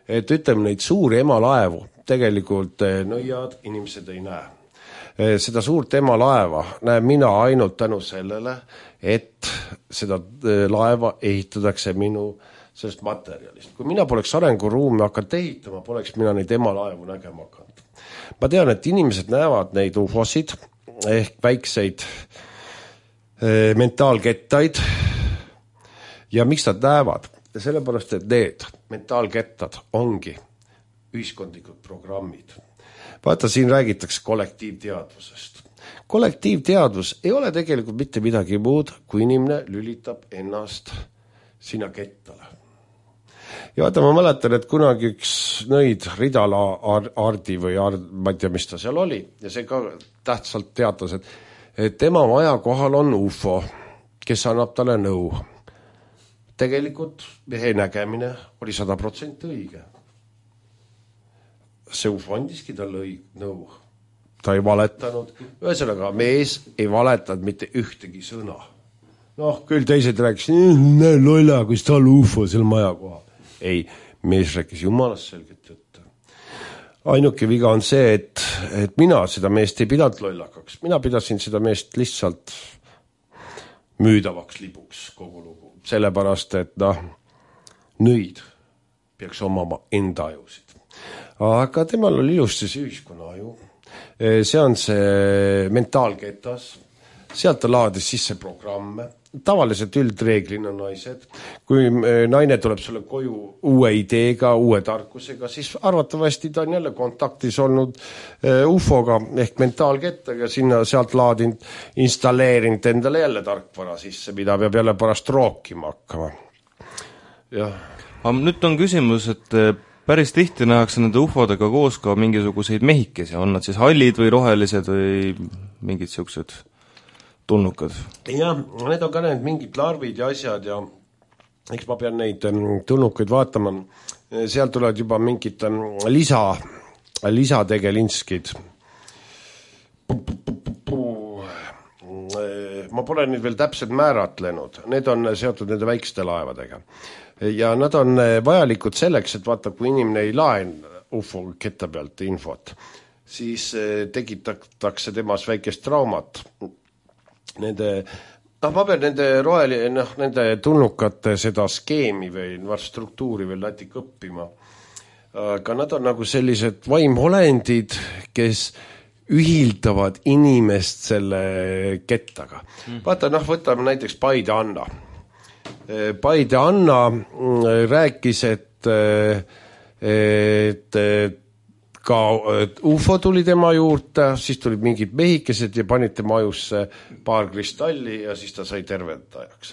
Et ütleme, neid suuri emalaevu tegelikult nõiad inimesed ei näe. Seda suurt emalaeva näen mina ainult tänu sellele, et seda laeva ehitatakse minu sellest materjalist. Kui mina poleks arenguruumi hakanud ehitama, poleks mina neid emalaevu nägema hakanud. Ma tean, et inimesed näevad neid ufosid ehk väikseid mentaalkettaid ja miks nad näevad? Ja sellepärast, et need mentaalkettad ongi ühiskondlikud programmid. Vaata, siin räägitakse kollektiivteadvusest. Kollektiivteadvus ei ole tegelikult mitte midagi muud, kui inimene lülitab ennast sinna kettale. Ja vaata, ma mäletan, et kunagi üks nõid Ridala Ardi või ma ei tea, mis ta seal oli, ja see ka tähtsalt teatas, et tema maja kohal on UFO, kes annab talle nõu. Tegelikult mehe nägemine oli 100% õige. See UFO andiski talle nõu. Ta ei valetanud. Ühesõnaga, mees ei valetanud mitte ühtegi sõna. Küll teised rääkisid, lolla, kus tal UFO seal maja kohal. Ei, mees rääkis jumalast selget juttu. Ainuke viga on see, et mina seda meest ei pidanud lollakaks. Mina pidasin seda meest lihtsalt müüdavaks libuks kogu lugu. Sellepärast, et nõid peaks omama enda ajusid. Aga temal oli ilusti see ühiskonna aju. See on see mentaalketas. Sealt ta laadis sisse programme. Tavaliselt üldreeglina naised. Kui naine tuleb sulle koju uue ideega, uue tarkusega, siis arvatavasti ta on jälle kontaktis olnud UFO-ga ehk mentaalkettaga, sealt laadinud, installeerinud endale jälle tarkvara sisse, mida peab jälle pärast rookima hakkama. Nüüd on küsimus, et päris tihti nähakse nende ufodega koos ka mingisuguseid mehikesi, on nad siis hallid või rohelised või mingid siuksed tulnukad? jah, need on ka need mingid larvid ja asjad ja eks ma pean neid tulnukaid vaatama, sealt tulevad juba mingid lisategelinskid. Ma pole neid veel täpselt määratlenud, need on seotud nende väikeste laevadega ja nad on vajalikud selleks, et vaata, kui inimene ei laen UFO ketta pealt infot, siis tekitatakse temas väikest traumat. Nende, ma pean nende tulnukate seda skeemi või struktuuri veel natuke õppima, aga nad on nagu sellised vaimolendid, kes ühildavad inimest selle kettaga. Vaata, võtame näiteks Paide Anna. Paide Anna rääkis, et ka UFO tuli tema juurde, siis tulid mingid mehikesed ja panid tema ajusse paar kristalli ja siis ta sai tervetajaks.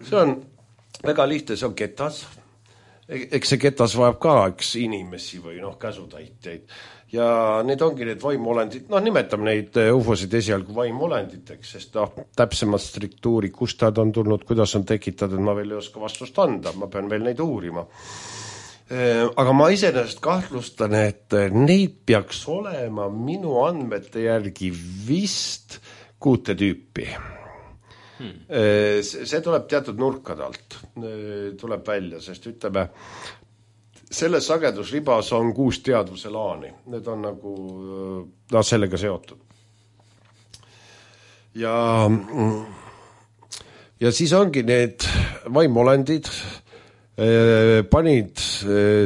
See on väga lihtne, see on ketas. Eks see ketas vajab ka inimesi või käsutäitjaid. Ja need ongi need vaimolendid, nimetame neid UFO-sid esialgu vaimolenditeks, sest täpsemat struktuuri, kust nad on tulnud, kuidas on tekitatud, ma veel ei oska vastust anda, ma pean veel neid uurima. Aga ma iseenesest kahtlustan, et neid peaks olema minu andmete järgi vist 6 tüüpi. See tuleb teatud nurkade alt, tuleb välja, sest ütleme, selles sagedusribas on 6 teadvuse laani. Need on nagu sellega seotud. Ja siis ongi need vaimolendid, panid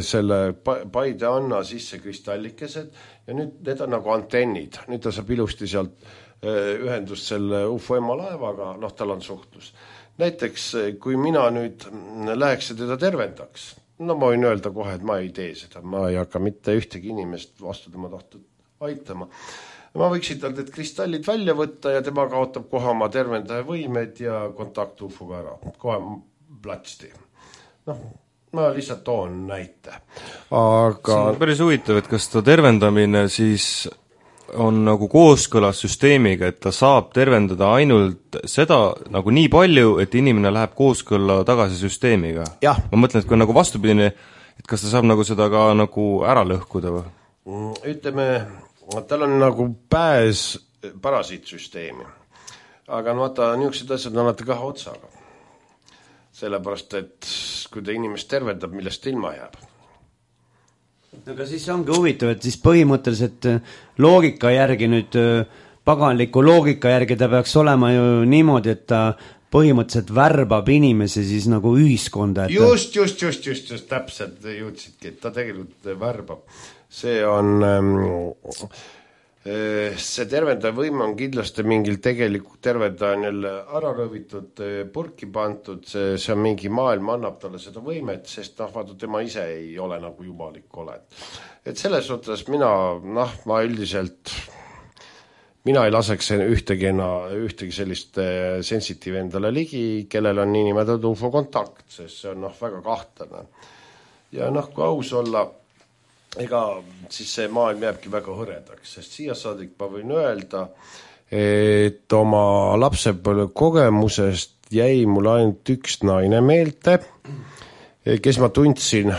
selle Paide Anna sisse kristallikesed ja nüüd need on nagu antennid. Nüüd ta saab ilusti sealt ühendust selle UFO ema laevaga, tal on suhtlus. Näiteks, kui mina nüüd läheks ja teda tervendaks, ma võin öelda kohe, et ma ei tee seda, ma ei hakka mitte ühtegi inimest vastu tema tahtud aitama. Ma võiksin tal need kristallid välja võtta ja tema kaotab kohe oma tervendaja võimed ja kontakt UFO-ga ära. Kohe platsti. Ma lihtsalt toon näite. Aga... See on päris huvitav, et kas ta tervendamine siis on nagu kooskõlas süsteemiga, et ta saab tervendada ainult seda nagu nii palju, et inimene läheb kooskõlla tagasi süsteemiga. Ja. Ma mõtlen, et kui on nagu vastupidine, et kas ta saab nagu seda ka nagu ära lõhkuda või? Ütleme, tal on nagu pääs parasiitsüsteemi. Aga vaata, niisugused asjad on alati kahe otsaga. Sellepärast, et kui ta inimest tervendab, millest ta ilma jääb. Aga siis ongi huvitav, et siis põhimõtteliselt loogika järgi nüüd, paganliku loogika järgi ta peaks olema ju niimoodi, et ta põhimõtteliselt värbab inimesi siis nagu ühiskonda. Et... Just, täpselt jõudsidki, et ta tegelikult värbab. See on, see tervendaja võime on kindlasti mingil tegelikult tervendajanil ära rõvitud, purki pantud, see on mingi maailm, annab talle seda võimet, sest vaata, tema ise ei ole nagu jumalik oled. Et selles suhtes ma üldiselt, mina ei laseks ühtegi sellist sensitiiv endale ligi, kellel on niinimetatud UFO kontakt, sest see on väga kahtlane. Ja kui aus olla, ega siis see maailm jääbki väga hõredaks, sest siia saadik ma võin öelda, et oma lapsepõlve kogemusest jäi mul ainult üks naine meelde, kes ma tundsin,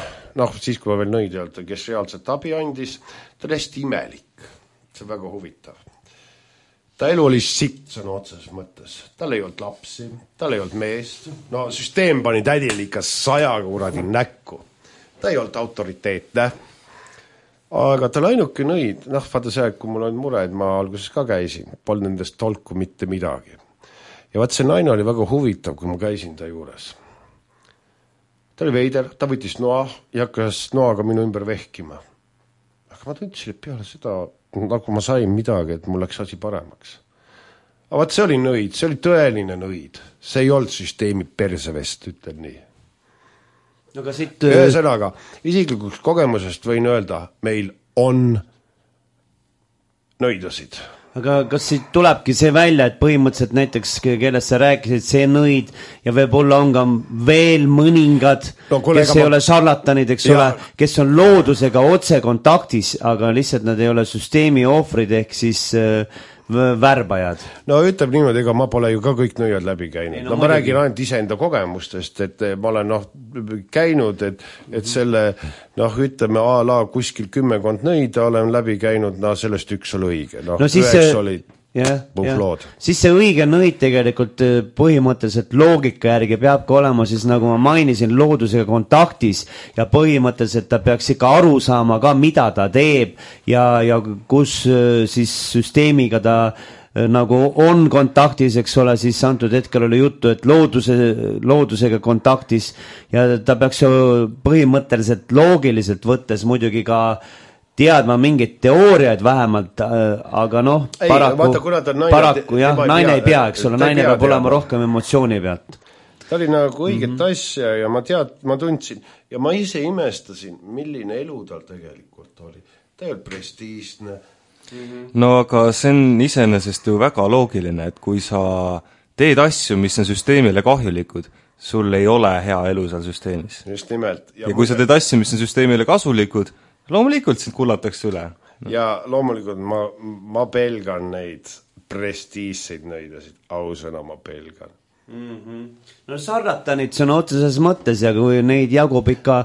siis kui ma veel nõid ei olnud, kes reaalselt abi andis, ta oli hästi imelik, see on väga huvitav. Ta elu oli sitt sõna otseses mõttes, tal ei olnud lapsi, tal ei olnud meest, süsteem pani tädil ikka 100 kuradi näkku, ta ei olnud autoriteetne. Aga tal ainuke nõid, vaata see, kui mul on mured, ma alguses ka käisin, polnud nendest tolku mitte midagi. Ja vaat see naine oli väga huvitav, kui ma käisin ta juures. Ta oli veider, ta võttis noa ja hakkas noaga minu ümber vehkima. Aga ma tundsin, et peale seda, nagu ma sain midagi, et mul läks asi paremaks. Aga vaat see oli nõid, see oli tõeline nõid. See ei olnud süsteemi persevest, ütlen nii. Aga siit... Ühesõnaga, isiklikuks kogemusest võin öelda, meil on nõidasid. aga kas siit tulebki see välja, et põhimõtteliselt näiteks, kellest sa rääkisid, see nõid ja võib-olla on ka veel mõningad, kes ei ole šarlatanid, eks ole, kes on loodusega otse kontaktis, aga lihtsalt nad ei ole süsteemi ohvrid ehk siis värbajad. No ütleb niimoodi, ega ma pole ju ka kõik nõiad läbi käinud. Ma räägin ainult iseenda kogemustest, et ma olen käinud, et selle, ütleme a la kuskil 10 nõida olen läbi käinud, sellest üks oli õige. Üheks olid puhlood. Siis see õige nõid tegelikult põhimõtteliselt loogika järgi peabki olema siis, nagu ma mainisin, loodusega kontaktis ja põhimõtteliselt ta peaks ikka aru saama ka, mida ta teeb ja kus siis süsteemiga ta nagu on kontaktis, eks ole, siis antud hetkel oli juttu, et loodusega kontaktis ja ta peaks ju põhimõtteliselt loogiliselt võttes muidugi ka teadma mingid teooriaid vähemalt, aga paraku jah, naine ei pea, eks ole, naine peab olema rohkem emotsiooni pealt. Ta oli nagu õiget asja ja ma tundsin ja ma ise imestasin, milline elu tal tegelikult oli. Ta ei olnud prestiižne. No aga see on iseenesest ju väga loogiline, et kui sa teed asju, mis on süsteemile kahjulikud, sul ei ole hea elu seal süsteemis. Just nimelt. Ja kui sa teed asju, mis on süsteemile kasulikud, loomulikult sind kullatakse üle. Ja loomulikult ma pelgan neid prestiisseid nõidasid, ausõna ma pelgan. No šarlatanid see on otseses mõttes ja kui neid jagub ikka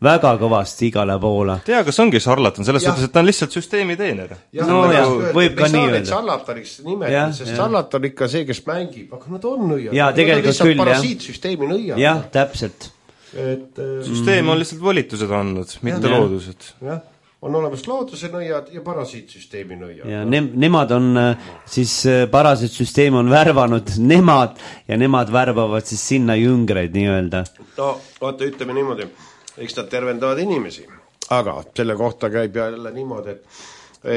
väga kõvasti igale poole. Tea, kas ongi šarlatan, selles suhtes, et ta on lihtsalt süsteemi teener. Võib ka nii öelda. Šarlataniks nimetada, sest šarlatan ikka see, kes mängib, aga nad on nõiad. Ja tegelikult küll, jah. Parasiitsüsteemi nõiad. Jah, täpselt. Süsteem on lihtsalt volitused andnud, mitte loodused. Jah, on olemas looduse nõiad ja parasiitsüsteemi nõiad. Ja nemad on siis, parasiitsüsteem on värvanud nemad ja nemad värbavad siis sinna jüngreid nii-öelda. No, vaata, ütleme niimoodi, eks nad tervendavad inimesi, aga selle kohta käib jälle niimoodi, et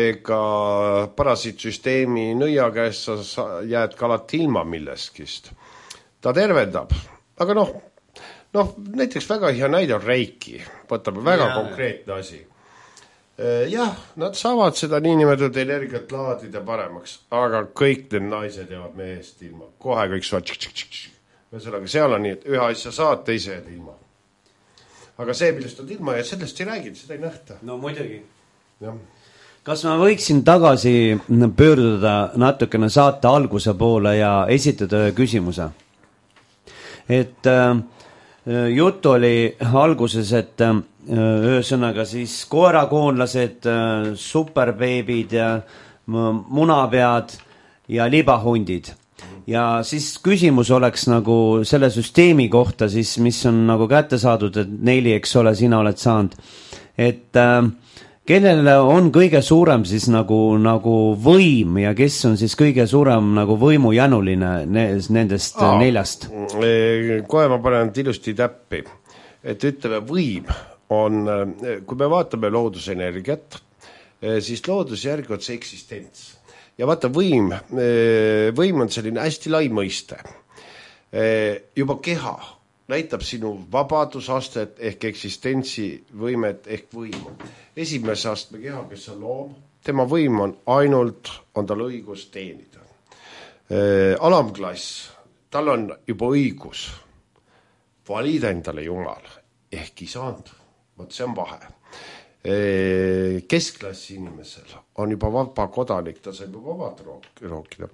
ega parasiitsüsteemi nõia käest sa jääd ka alati ilma milleskist. Ta tervendab, aga näiteks väga hea näide on Reiki, võtame väga konkreetne asi. Jah, nad saavad seda niinimetatud energiat laadida paremaks, aga kõik need naised jäävad mehest ilma. Kohe kõik saavad seal on nii, et ühe asja saad, teise jääd ilma. Aga see, millest on ilma ja sellest ei räägid, seda ei nähta. No muidugi. Jah. Kas ma võiksin tagasi pöörduda natukene saate alguse poole ja esitada ühe küsimuse? Et jutt oli alguses, et ühesõnaga siis koerakoonlased, superbeebid ja munapead ja libahundid. Ja siis küsimus oleks nagu selle süsteemi kohta siis, mis on nagu kätte saadud, et Neili, eks ole, sina oled saanud. Et kellele on kõige suurem siis nagu võim ja kes on siis kõige suurem nagu võimujänuline nendest neljast? Kohe ma panen ilusti täppi, et ütleme võim on, kui me vaatame loodusenergiat, siis loodusjärgi on see eksistents. Ja vaata võim on selline hästi lai mõiste. Juba keha näitab sinu vabadusastet ehk eksistentsi võimet ehk võimu. Esimese astme keha, kes on loom, tema võim on ainult, on tal õigus teenida. Alamklass, tal on juba õigus valida endale jumal ehk isand, vot see on vahe. Keskklassi inimesel on juba vaba kodanik, ta saab juba vabad rookida.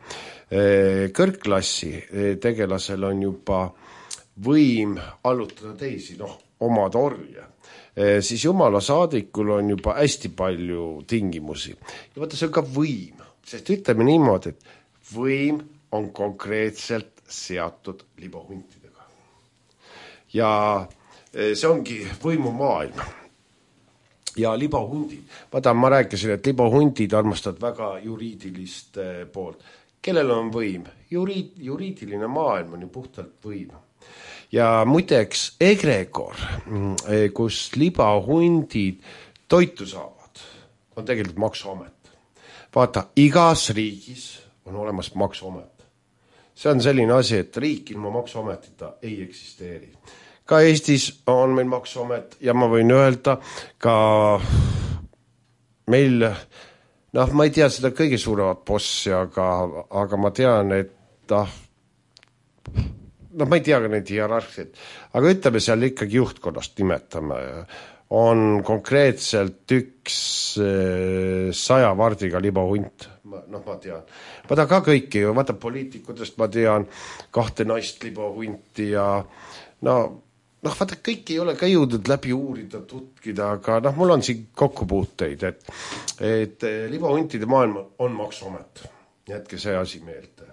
Kõrgklassi tegelasel on juba võim allutada teisi, omad orja. Siis jumala saadikul on juba hästi palju tingimusi. Ja vaata, see on ka võim, sest ütleme niimoodi, et võim on konkreetselt seatud libahuntidega. Ja see ongi võimumaailm. Ja libahundid. Vaata, ma rääkisin, et libahundid armastavad väga juriidilist poolt. Kellel on võim? Juriidiline maailm on ju puhtalt võim. Ja muideks egregor, kus libahundid toitu saavad, on tegelikult maksuamet. Vaata, igas riigis on olemas maksuamet. See on selline asi, et riik ilma maksuametita ei eksisteeri. Ka Eestis on meil maksuamet ja ma võin öelda ka meil noh, ma ei tea seda kõige suuremat bossi, aga ma tean, et noh, ma ei tea ka neid hierarhiaid, aga ütleme seal ikkagi juhtkonnast nimetame, on konkreetselt üks 100 vardiga libahunt, noh, ma tean. Ma ta ka kõiki ju, vaata poliitikutest ma tean 2 naist libahunti ja noh, vaata kõik ei ole ka jõudnud läbi uurida, tutkida, aga noh, mul on siin kokkupuuteid, et libahuntide maailm on Maksuamet, jätke see asi meelde.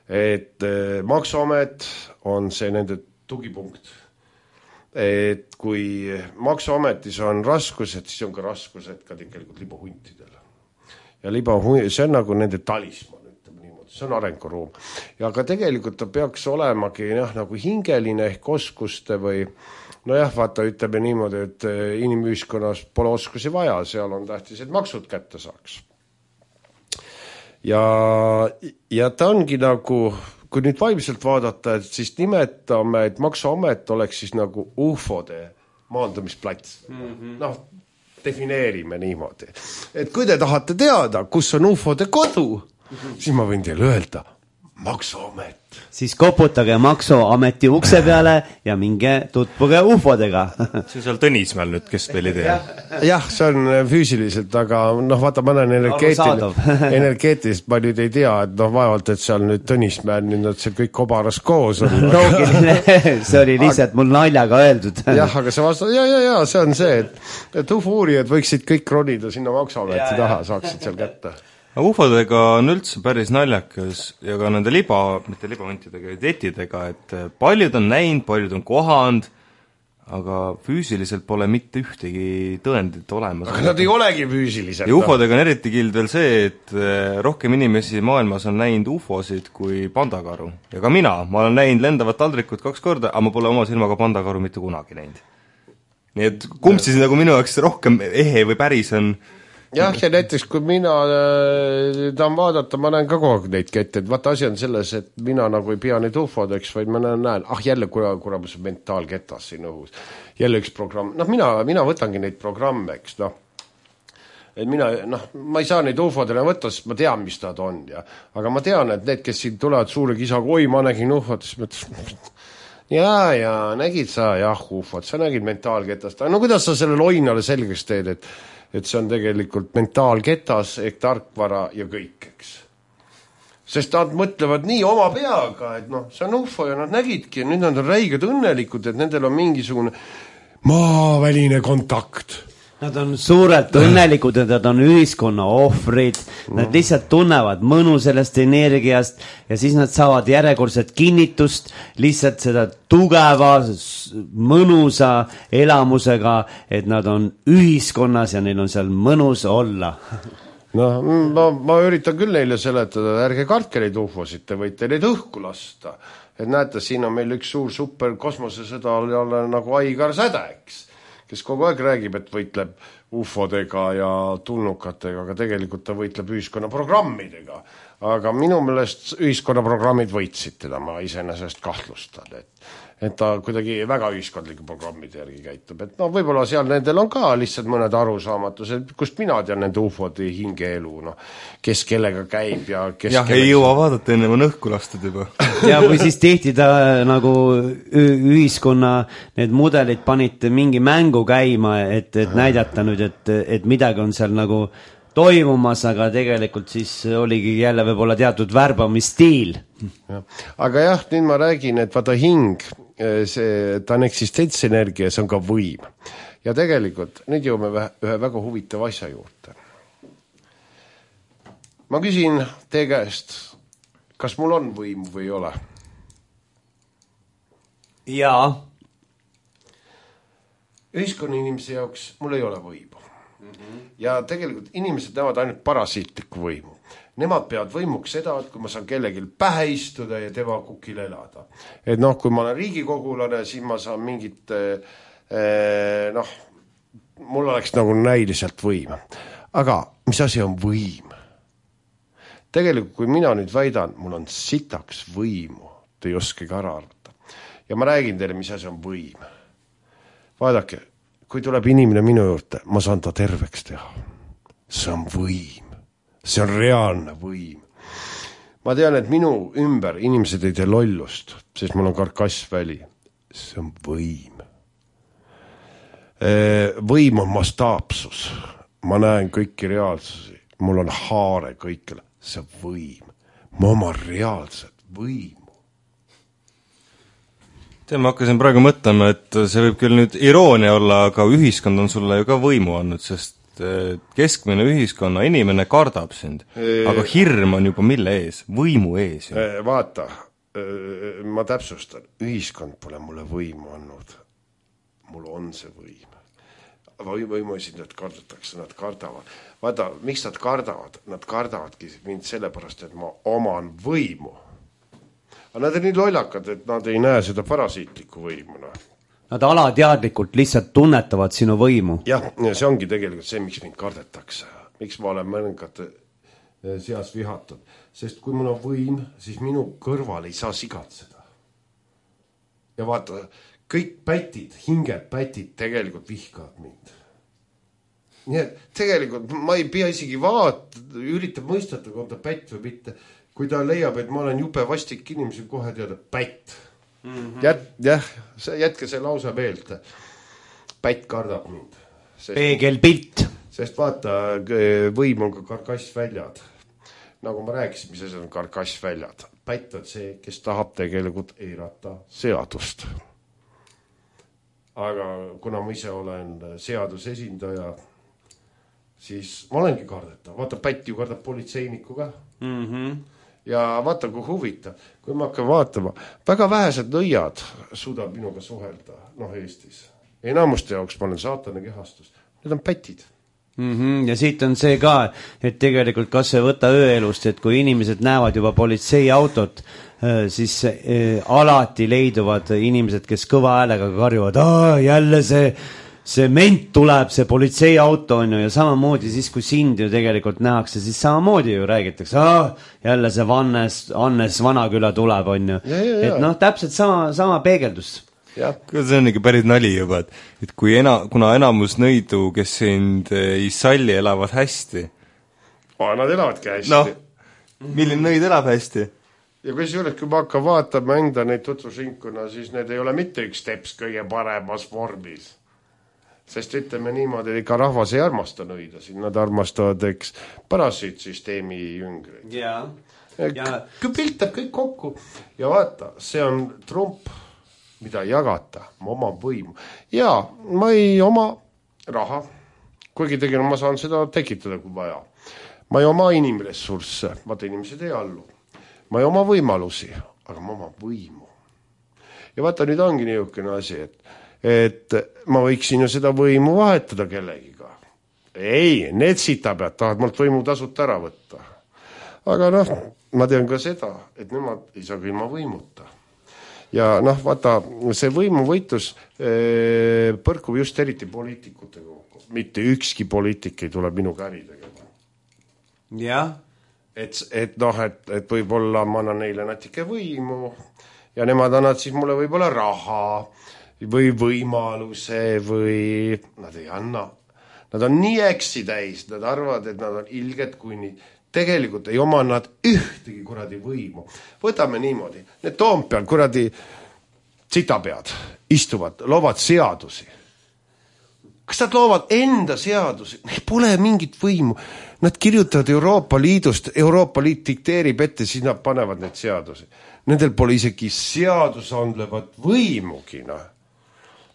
Et Maksuamet on see nende tugipunkt. Et kui Maksuametis on raskused, siis on ka raskused ka tegelikult libahuntidel. Ja see on nagu nende talisman, ütleme niimoodi, see on arenguruum. Ja ka tegelikult ta peaks olemagi nagu hingeline ehk oskuste või nojah, vaata, ütleme niimoodi, et inimühiskonnas pole oskusi vaja, seal on tähtis, et maksud kätte saaks. Ja ta ongi nagu, kui nüüd vaimselt vaadata, et siis nimetame, et Maksuamet oleks siis nagu UFO-de maandumisplats. Noh, defineerime niimoodi. Et kui te tahate teada, kus on UFO-de kodu, siis ma võin teile öelda, Maksuamet. Siis koputage Maksuameti ukse peale ja minge tutvuge UFO-dega. See on seal Tõnismäel nüüd, kes veel ei tea. Jah, see on füüsiliselt, aga noh, vaata, ma olen energeetiliselt, ma nüüd ei tea, et noh, vaevalt, et seal nüüd Tõnismäel nüüd see kõik kobaras koos on. Loogiline, see oli lihtsalt mul naljaga öeldud. Jah, aga see vastab, ja, see on see, et UFO-uurijad võiksid kõik ronida sinna Maksuameti taha, saaksid seal kätte. UFO-dega on üldse päris naljakas ja ka nende mitte libahuntidega, etidega, et paljud on näinud, paljud on kohanud, aga füüsiliselt pole mitte ühtegi tõendit olemas. Aga nad ei olegi füüsiliselt. Ja UFO-dega on eriti kild veel see, et rohkem inimesi maailmas on näinud UFO-sid kui pandakaru. Ja ka ma olen näinud lendavat taldrikut 2 korda, aga ma pole oma silmaga pandakaru mitte kunagi näinud. Nii et kumb siis nagu minu jaoks rohkem ehe või päris on. Jah, ja näiteks kui mina tahan vaadata, ma näen ka kogu aeg neid kette, et vaata asi on selles, et mina nagu ei pea neid UFO-deks, vaid ma näen, jälle kuramus mentaalketas siin õhus, jälle üks programm, noh mina võtangi neid programme, eks noh, et ma ei saa neid UFO-dele võtta, sest ma tean, mis nad on ja, aga ma tean, et need, kes siin tulevad suure kisaga, oi, ma nägin UFO-d, siis mõtles, ja, nägid sa, jah, UFO-d, sa nägid mentaalketast, no kuidas sa selle loinale selgeks teed, et see on tegelikult mentaalketas ehk tarkvara ja kõik, eks. Sest nad mõtlevad nii oma peaga, et noh, see on UFO ja nad nägidki ja nüüd nad on räiged õnnelikud, et nendel on mingisugune maaväline kontakt. Nad on suurelt õnnelikud, et nad on ühiskonna ohvrid, nad lihtsalt tunnevad mõnu sellest energiast ja siis nad saavad järjekordset kinnitust lihtsalt seda tugeva, mõnusa elamusega, et nad on ühiskonnas ja neil on seal mõnus olla. Ma üritan küll neile seletada, ärge kartke neid UFO-sid, te võite neid õhku lasta. Et näete, siin on meil üks suur super kosmosesõda nagu Aigar Säde, eks, kes kogu aeg räägib, et võitleb UFO-dega ja tulnukatega, aga tegelikult ta võitleb ühiskonnaprogrammidega. Aga minu meelest ühiskonnaprogrammid võitsid teda, ma iseenesest kahtlustan, et ta kuidagi väga ühiskondlike programmide järgi käitub. Et no võib-olla seal nendel on ka lihtsalt mõned arusaamatused, kust mina tean nende UFO-de hingeelu, kes kellega käib ja kes jah, ei jõua vaadata, enne on õhku lastud juba. Ja või siis tihti ta nagu ühiskonna need mudelid panite mingi mängu käima, et näidata nüüd, et midagi on seal nagu toimumas, aga tegelikult siis oligi jälle võib-olla teatud värbamisstiil. Aga jah, nüüd ma räägin, et vaata hing, ta on eksistentsenergia, see on ka võim. Ja tegelikult nüüd jõuame ühe väga huvitava asja juurde. Ma küsin teie käest, kas mul on võim või ei ole? Jaa. Ühiskonna inimese jaoks mul ei ole võimu. Ja tegelikult inimesed näevad ainult parasiitlikku võimu. Nemad peavad võimuks seda, et kui ma saan kellelgi pähe istuda ja tema kukil elada. Et noh, kui ma olen riigikogulane, siis ma saan mingit, mul oleks nagu näiliselt võim. Aga mis asi on võim? Tegelikult, kui mina nüüd väidan, mul on sitaks võimu, te ei oskagi ära arvata. Ja ma räägin teile, mis asi on võim. Vaadake, kui tuleb inimene minu juurde, ma saan ta terveks teha. See on võim. see on reaalne võim. Ma tean, et minu ümber inimesed ei tee lollust, sest mul on karkassväli. See on võim. Võim on mastaapsus. Ma näen kõiki reaalsusi. Mul on haare kõikjal. See on võim. Ma oma reaalset võimu. Ma hakkasin praegu mõtlema, et see võib küll nüüd iroonia olla, aga ühiskond on sulle ju ka võimu andnud, sest keskmine ühiskonna inimene kardab sind. Aga hirm on juba mille ees? Võimu ees. Vaata, ma täpsustan. Ühiskond pole mulle võimu andnud. Mul on see võim. Võimuesindajad kardetakse, nad kardavad. Vaata, miks nad kardavad? Nad kardavadki mind sellepärast, et ma oman võimu. Aga nad on nii lollakad, et nad ei näe seda parasiitlikku võimuna. Nad alateadlikult lihtsalt tunnetavad sinu võimu. Jah, see ongi tegelikult see, miks mind kardetakse. Miks ma olen mõningate seas vihatud. Sest kui mul on võim, siis minu kõrval ei saa sigatseda. Ja vaata, kõik pätid, hinged pätid tegelikult vihkavad mind. Nii et tegelikult ma ei pea isegi üritab mõistata, kui on ta pätt või mitte. Kui ta leiab, et ma olen jube vastik inimesi, kohe teada pätt. Jätke see lausa meelt. Pätt kardab mind. Peegelpilt. Sest vaata, võim on ka karkassväljad. Nagu ma rääkisin, mis see on karkassväljad. Pätt on see, kes tahab tegelikult eirata seadust. Aga kuna ma ise olen seadusesindaja, siis ma olengi kardetav. Vaata, pätt ju kardab politseinikuga. Ja vaata, kui huvitav. Kui ma hakkan vaatama, väga vähesed nõiad suudab minuga suhelda, Eestis. Enamuste jaoks ma olen saatane kehastus. Need on pätid. Ja siit on see ka, et tegelikult kas see võtta ööelust, et kui inimesed näevad juba politseiautot, siis alati leiduvad inimesed, kes kõva häälega karjuvad, jälle see ment tuleb, see politseiauto on ju, ja samamoodi siis, kui sind ju tegelikult nähakse, siis samamoodi ju räägitakse, jälle see Annes Vanaküla tuleb, on ju. Et täpselt sama peegeldus. See on ikka päris nali juba, et kuna enamus nõidu, kes sind ei salli, elavad hästi. Nad elavadki hästi. Milline nõid elab hästi? Ja kui ma hakkan vaatama enda neid tutvusringkonna, siis need ei ole mitte üks teps kõige paremas vormis. Sest ütleme niimoodi, et ikka rahvas ei armasta nõida siin, nad armastavad, parasiitsüsteemi jüngreid. Kui piltab kõik kokku ja vaata, see on trump, mida jagata, ma oma võimu. Ja ma ei oma raha, kuigi tegelikult ma saan seda tekitada, kui vaja. Ma ei oma inimressursse, vaata inimesed ei allu. Ma ei oma võimalusi, aga ma oma võimu. Ja vaata, nüüd ongi niisugune asi, et ma võiksin ju seda võimu vahetada kellegiga. Ei, need sitapead tahavad mult võimu tasut ära võtta. Aga ma tean ka seda, et nemad ei saa ka ilma võimuta. Ja vaata, see võimuvõitlus põrkub just eriti poliitikutega. Mitte ükski poliitik ei tule minu käri tegema. Jah. Et võib-olla ma annan neile natuke võimu ja nemad annavad siis mulle võib-olla raha või võimaluse või nad ei anna. Nad on nii äksi täis, nad arvavad, et nad on ilged kuni. Tegelikult ei oma nad ühtegi kuradi võimu. Võtame niimoodi, need Toompeal kuradi sitapead istuvad, loovad seadusi. Kas nad loovad enda seadusi? Neil pole mingit võimu. Nad kirjutavad Euroopa Liidust, Euroopa Liit dikteerib ette, siis nad panevad need seadusi. Nendel pole isegi seadusandlevat võimugi.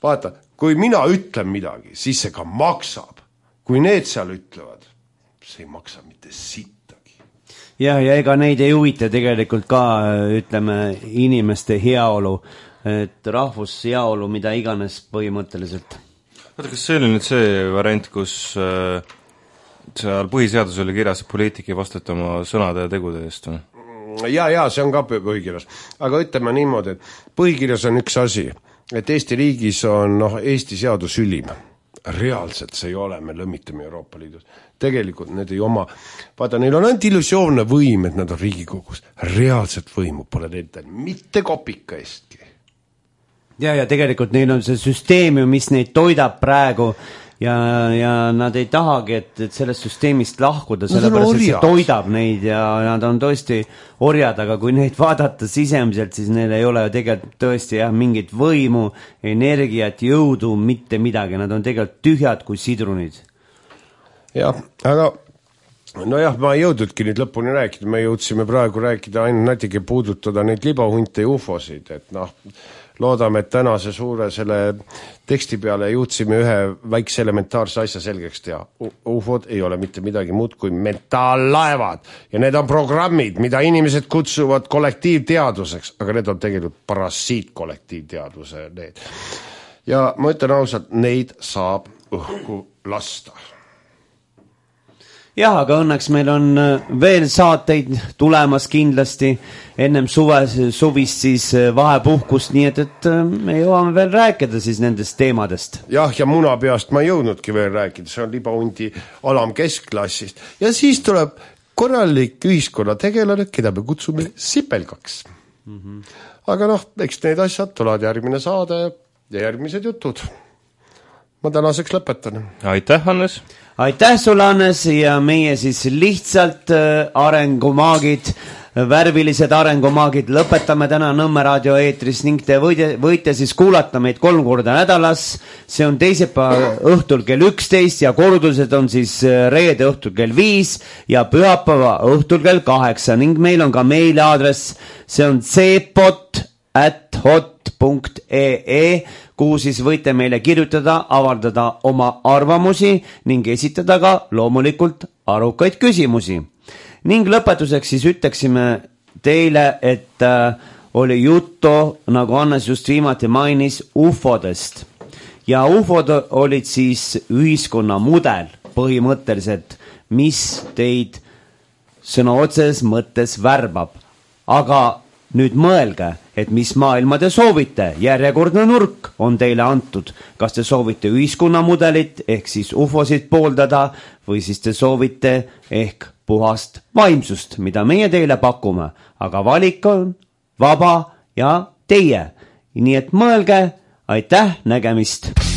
Vaata, kui mina ütlen midagi, siis see ka maksab. Kui need seal ütlevad, see ei maksa mitte sittagi. Ja ega neid ei huvita tegelikult ka, ütleme, inimeste heaolu, et rahvus heaolu, mida iganes põhimõtteliselt. Vaata, kas see oli nüüd see variant, kus seal põhiseadus oli kirjas, et poliitik ei vastuta oma sõnade ja tegude eest? Ja, see on ka põhikirjas. Aga ütleme niimoodi, et põhikirjas on üks asi, et Eesti riigis on Eesti seadus ülim. Reaalselt see ei ole, me lõmitame Euroopa Liidus. Tegelikult need ei oma. Vaata, neil on ainult illusioonne võim, et nad on Riigikogus. Reaalselt võimu pole nendel mitte kopika eestki. Ja tegelikult neil on see süsteem, mis neid toidab praegu ja nad ei tahagi, et sellest süsteemist lahkuda, sellepärast et see toidab neid ja nad on tõesti orjad, aga kui neid vaadata sisemiselt, siis neil ei ole tegelikult tõesti mingit võimu, energiat, jõudu, mitte midagi, nad on tegelikult tühjad kui sidrunid. Jah, aga nojah, ma ei jõudnudki nüüd lõpuni rääkida, me jõudsime praegu rääkida ainult natuke puudutada neid libahunte ja ufosid, et loodame, et tänase suure selle teksti peale jõudsime ühe väikse elementaarse asja selgeks teha. Ufod ei ole mitte midagi muud kui metaallaevad ja need on programmid, mida inimesed kutsuvad kollektiivteaduseks, aga need on tegelikult parasiitkollektiivteaduse need. Ja ma ütlen ausalt, neid saab õhku lasta. Jah, aga õnneks meil on veel saateid tulemas kindlasti ennem suvist siis vahepuhkust, nii et me jõuame veel rääkida siis nendest teemadest. Jah, ja munapeast ma ei jõudnudki veel rääkida, see on libahundi alamkeskklassist. Ja siis tuleb korralik ühiskonnategelane, keda me kutsume sipelgaks. Aga eks need asjad tulevad järgmine saade ja järgmised jutud. Ma tänaseks lõpetan. Aitäh, Hannes! Aitäh sulle, Hannes, ja meie siis lihtsalt arengumaagid, värvilised arengumaagid lõpetame täna Nõmme raadio eetris ning te võite siis kuulata meid 3 korda nädalas. See on teisipäeva õhtul kell 11 ja kordused on siis reede õhtul kell 5 ja pühapäeva õhtul kell 8 ning meil on ka meiliaadress, see on cpot@hot.ee, kuhu siis võite meile kirjutada, avaldada oma arvamusi ning esitada ka loomulikult arukaid küsimusi. Ning lõpetuseks siis ütleksime teile, et oli juttu, nagu Hannes just viimati mainis, ufodest. Ja ufod olid siis ühiskonna mudel põhimõtteliselt, mis teid sõna otseses mõttes värbab. Aga nüüd mõelge, et mis maailma te soovite, järjekordne nurk on teile antud. Kas te soovite ühiskonnamudelit ehk siis ufosid pooldada või siis te soovite ehk puhast vaimsust, mida meie teile pakume, aga valik on vaba ja teie. Nii et mõelge, aitäh, nägemist!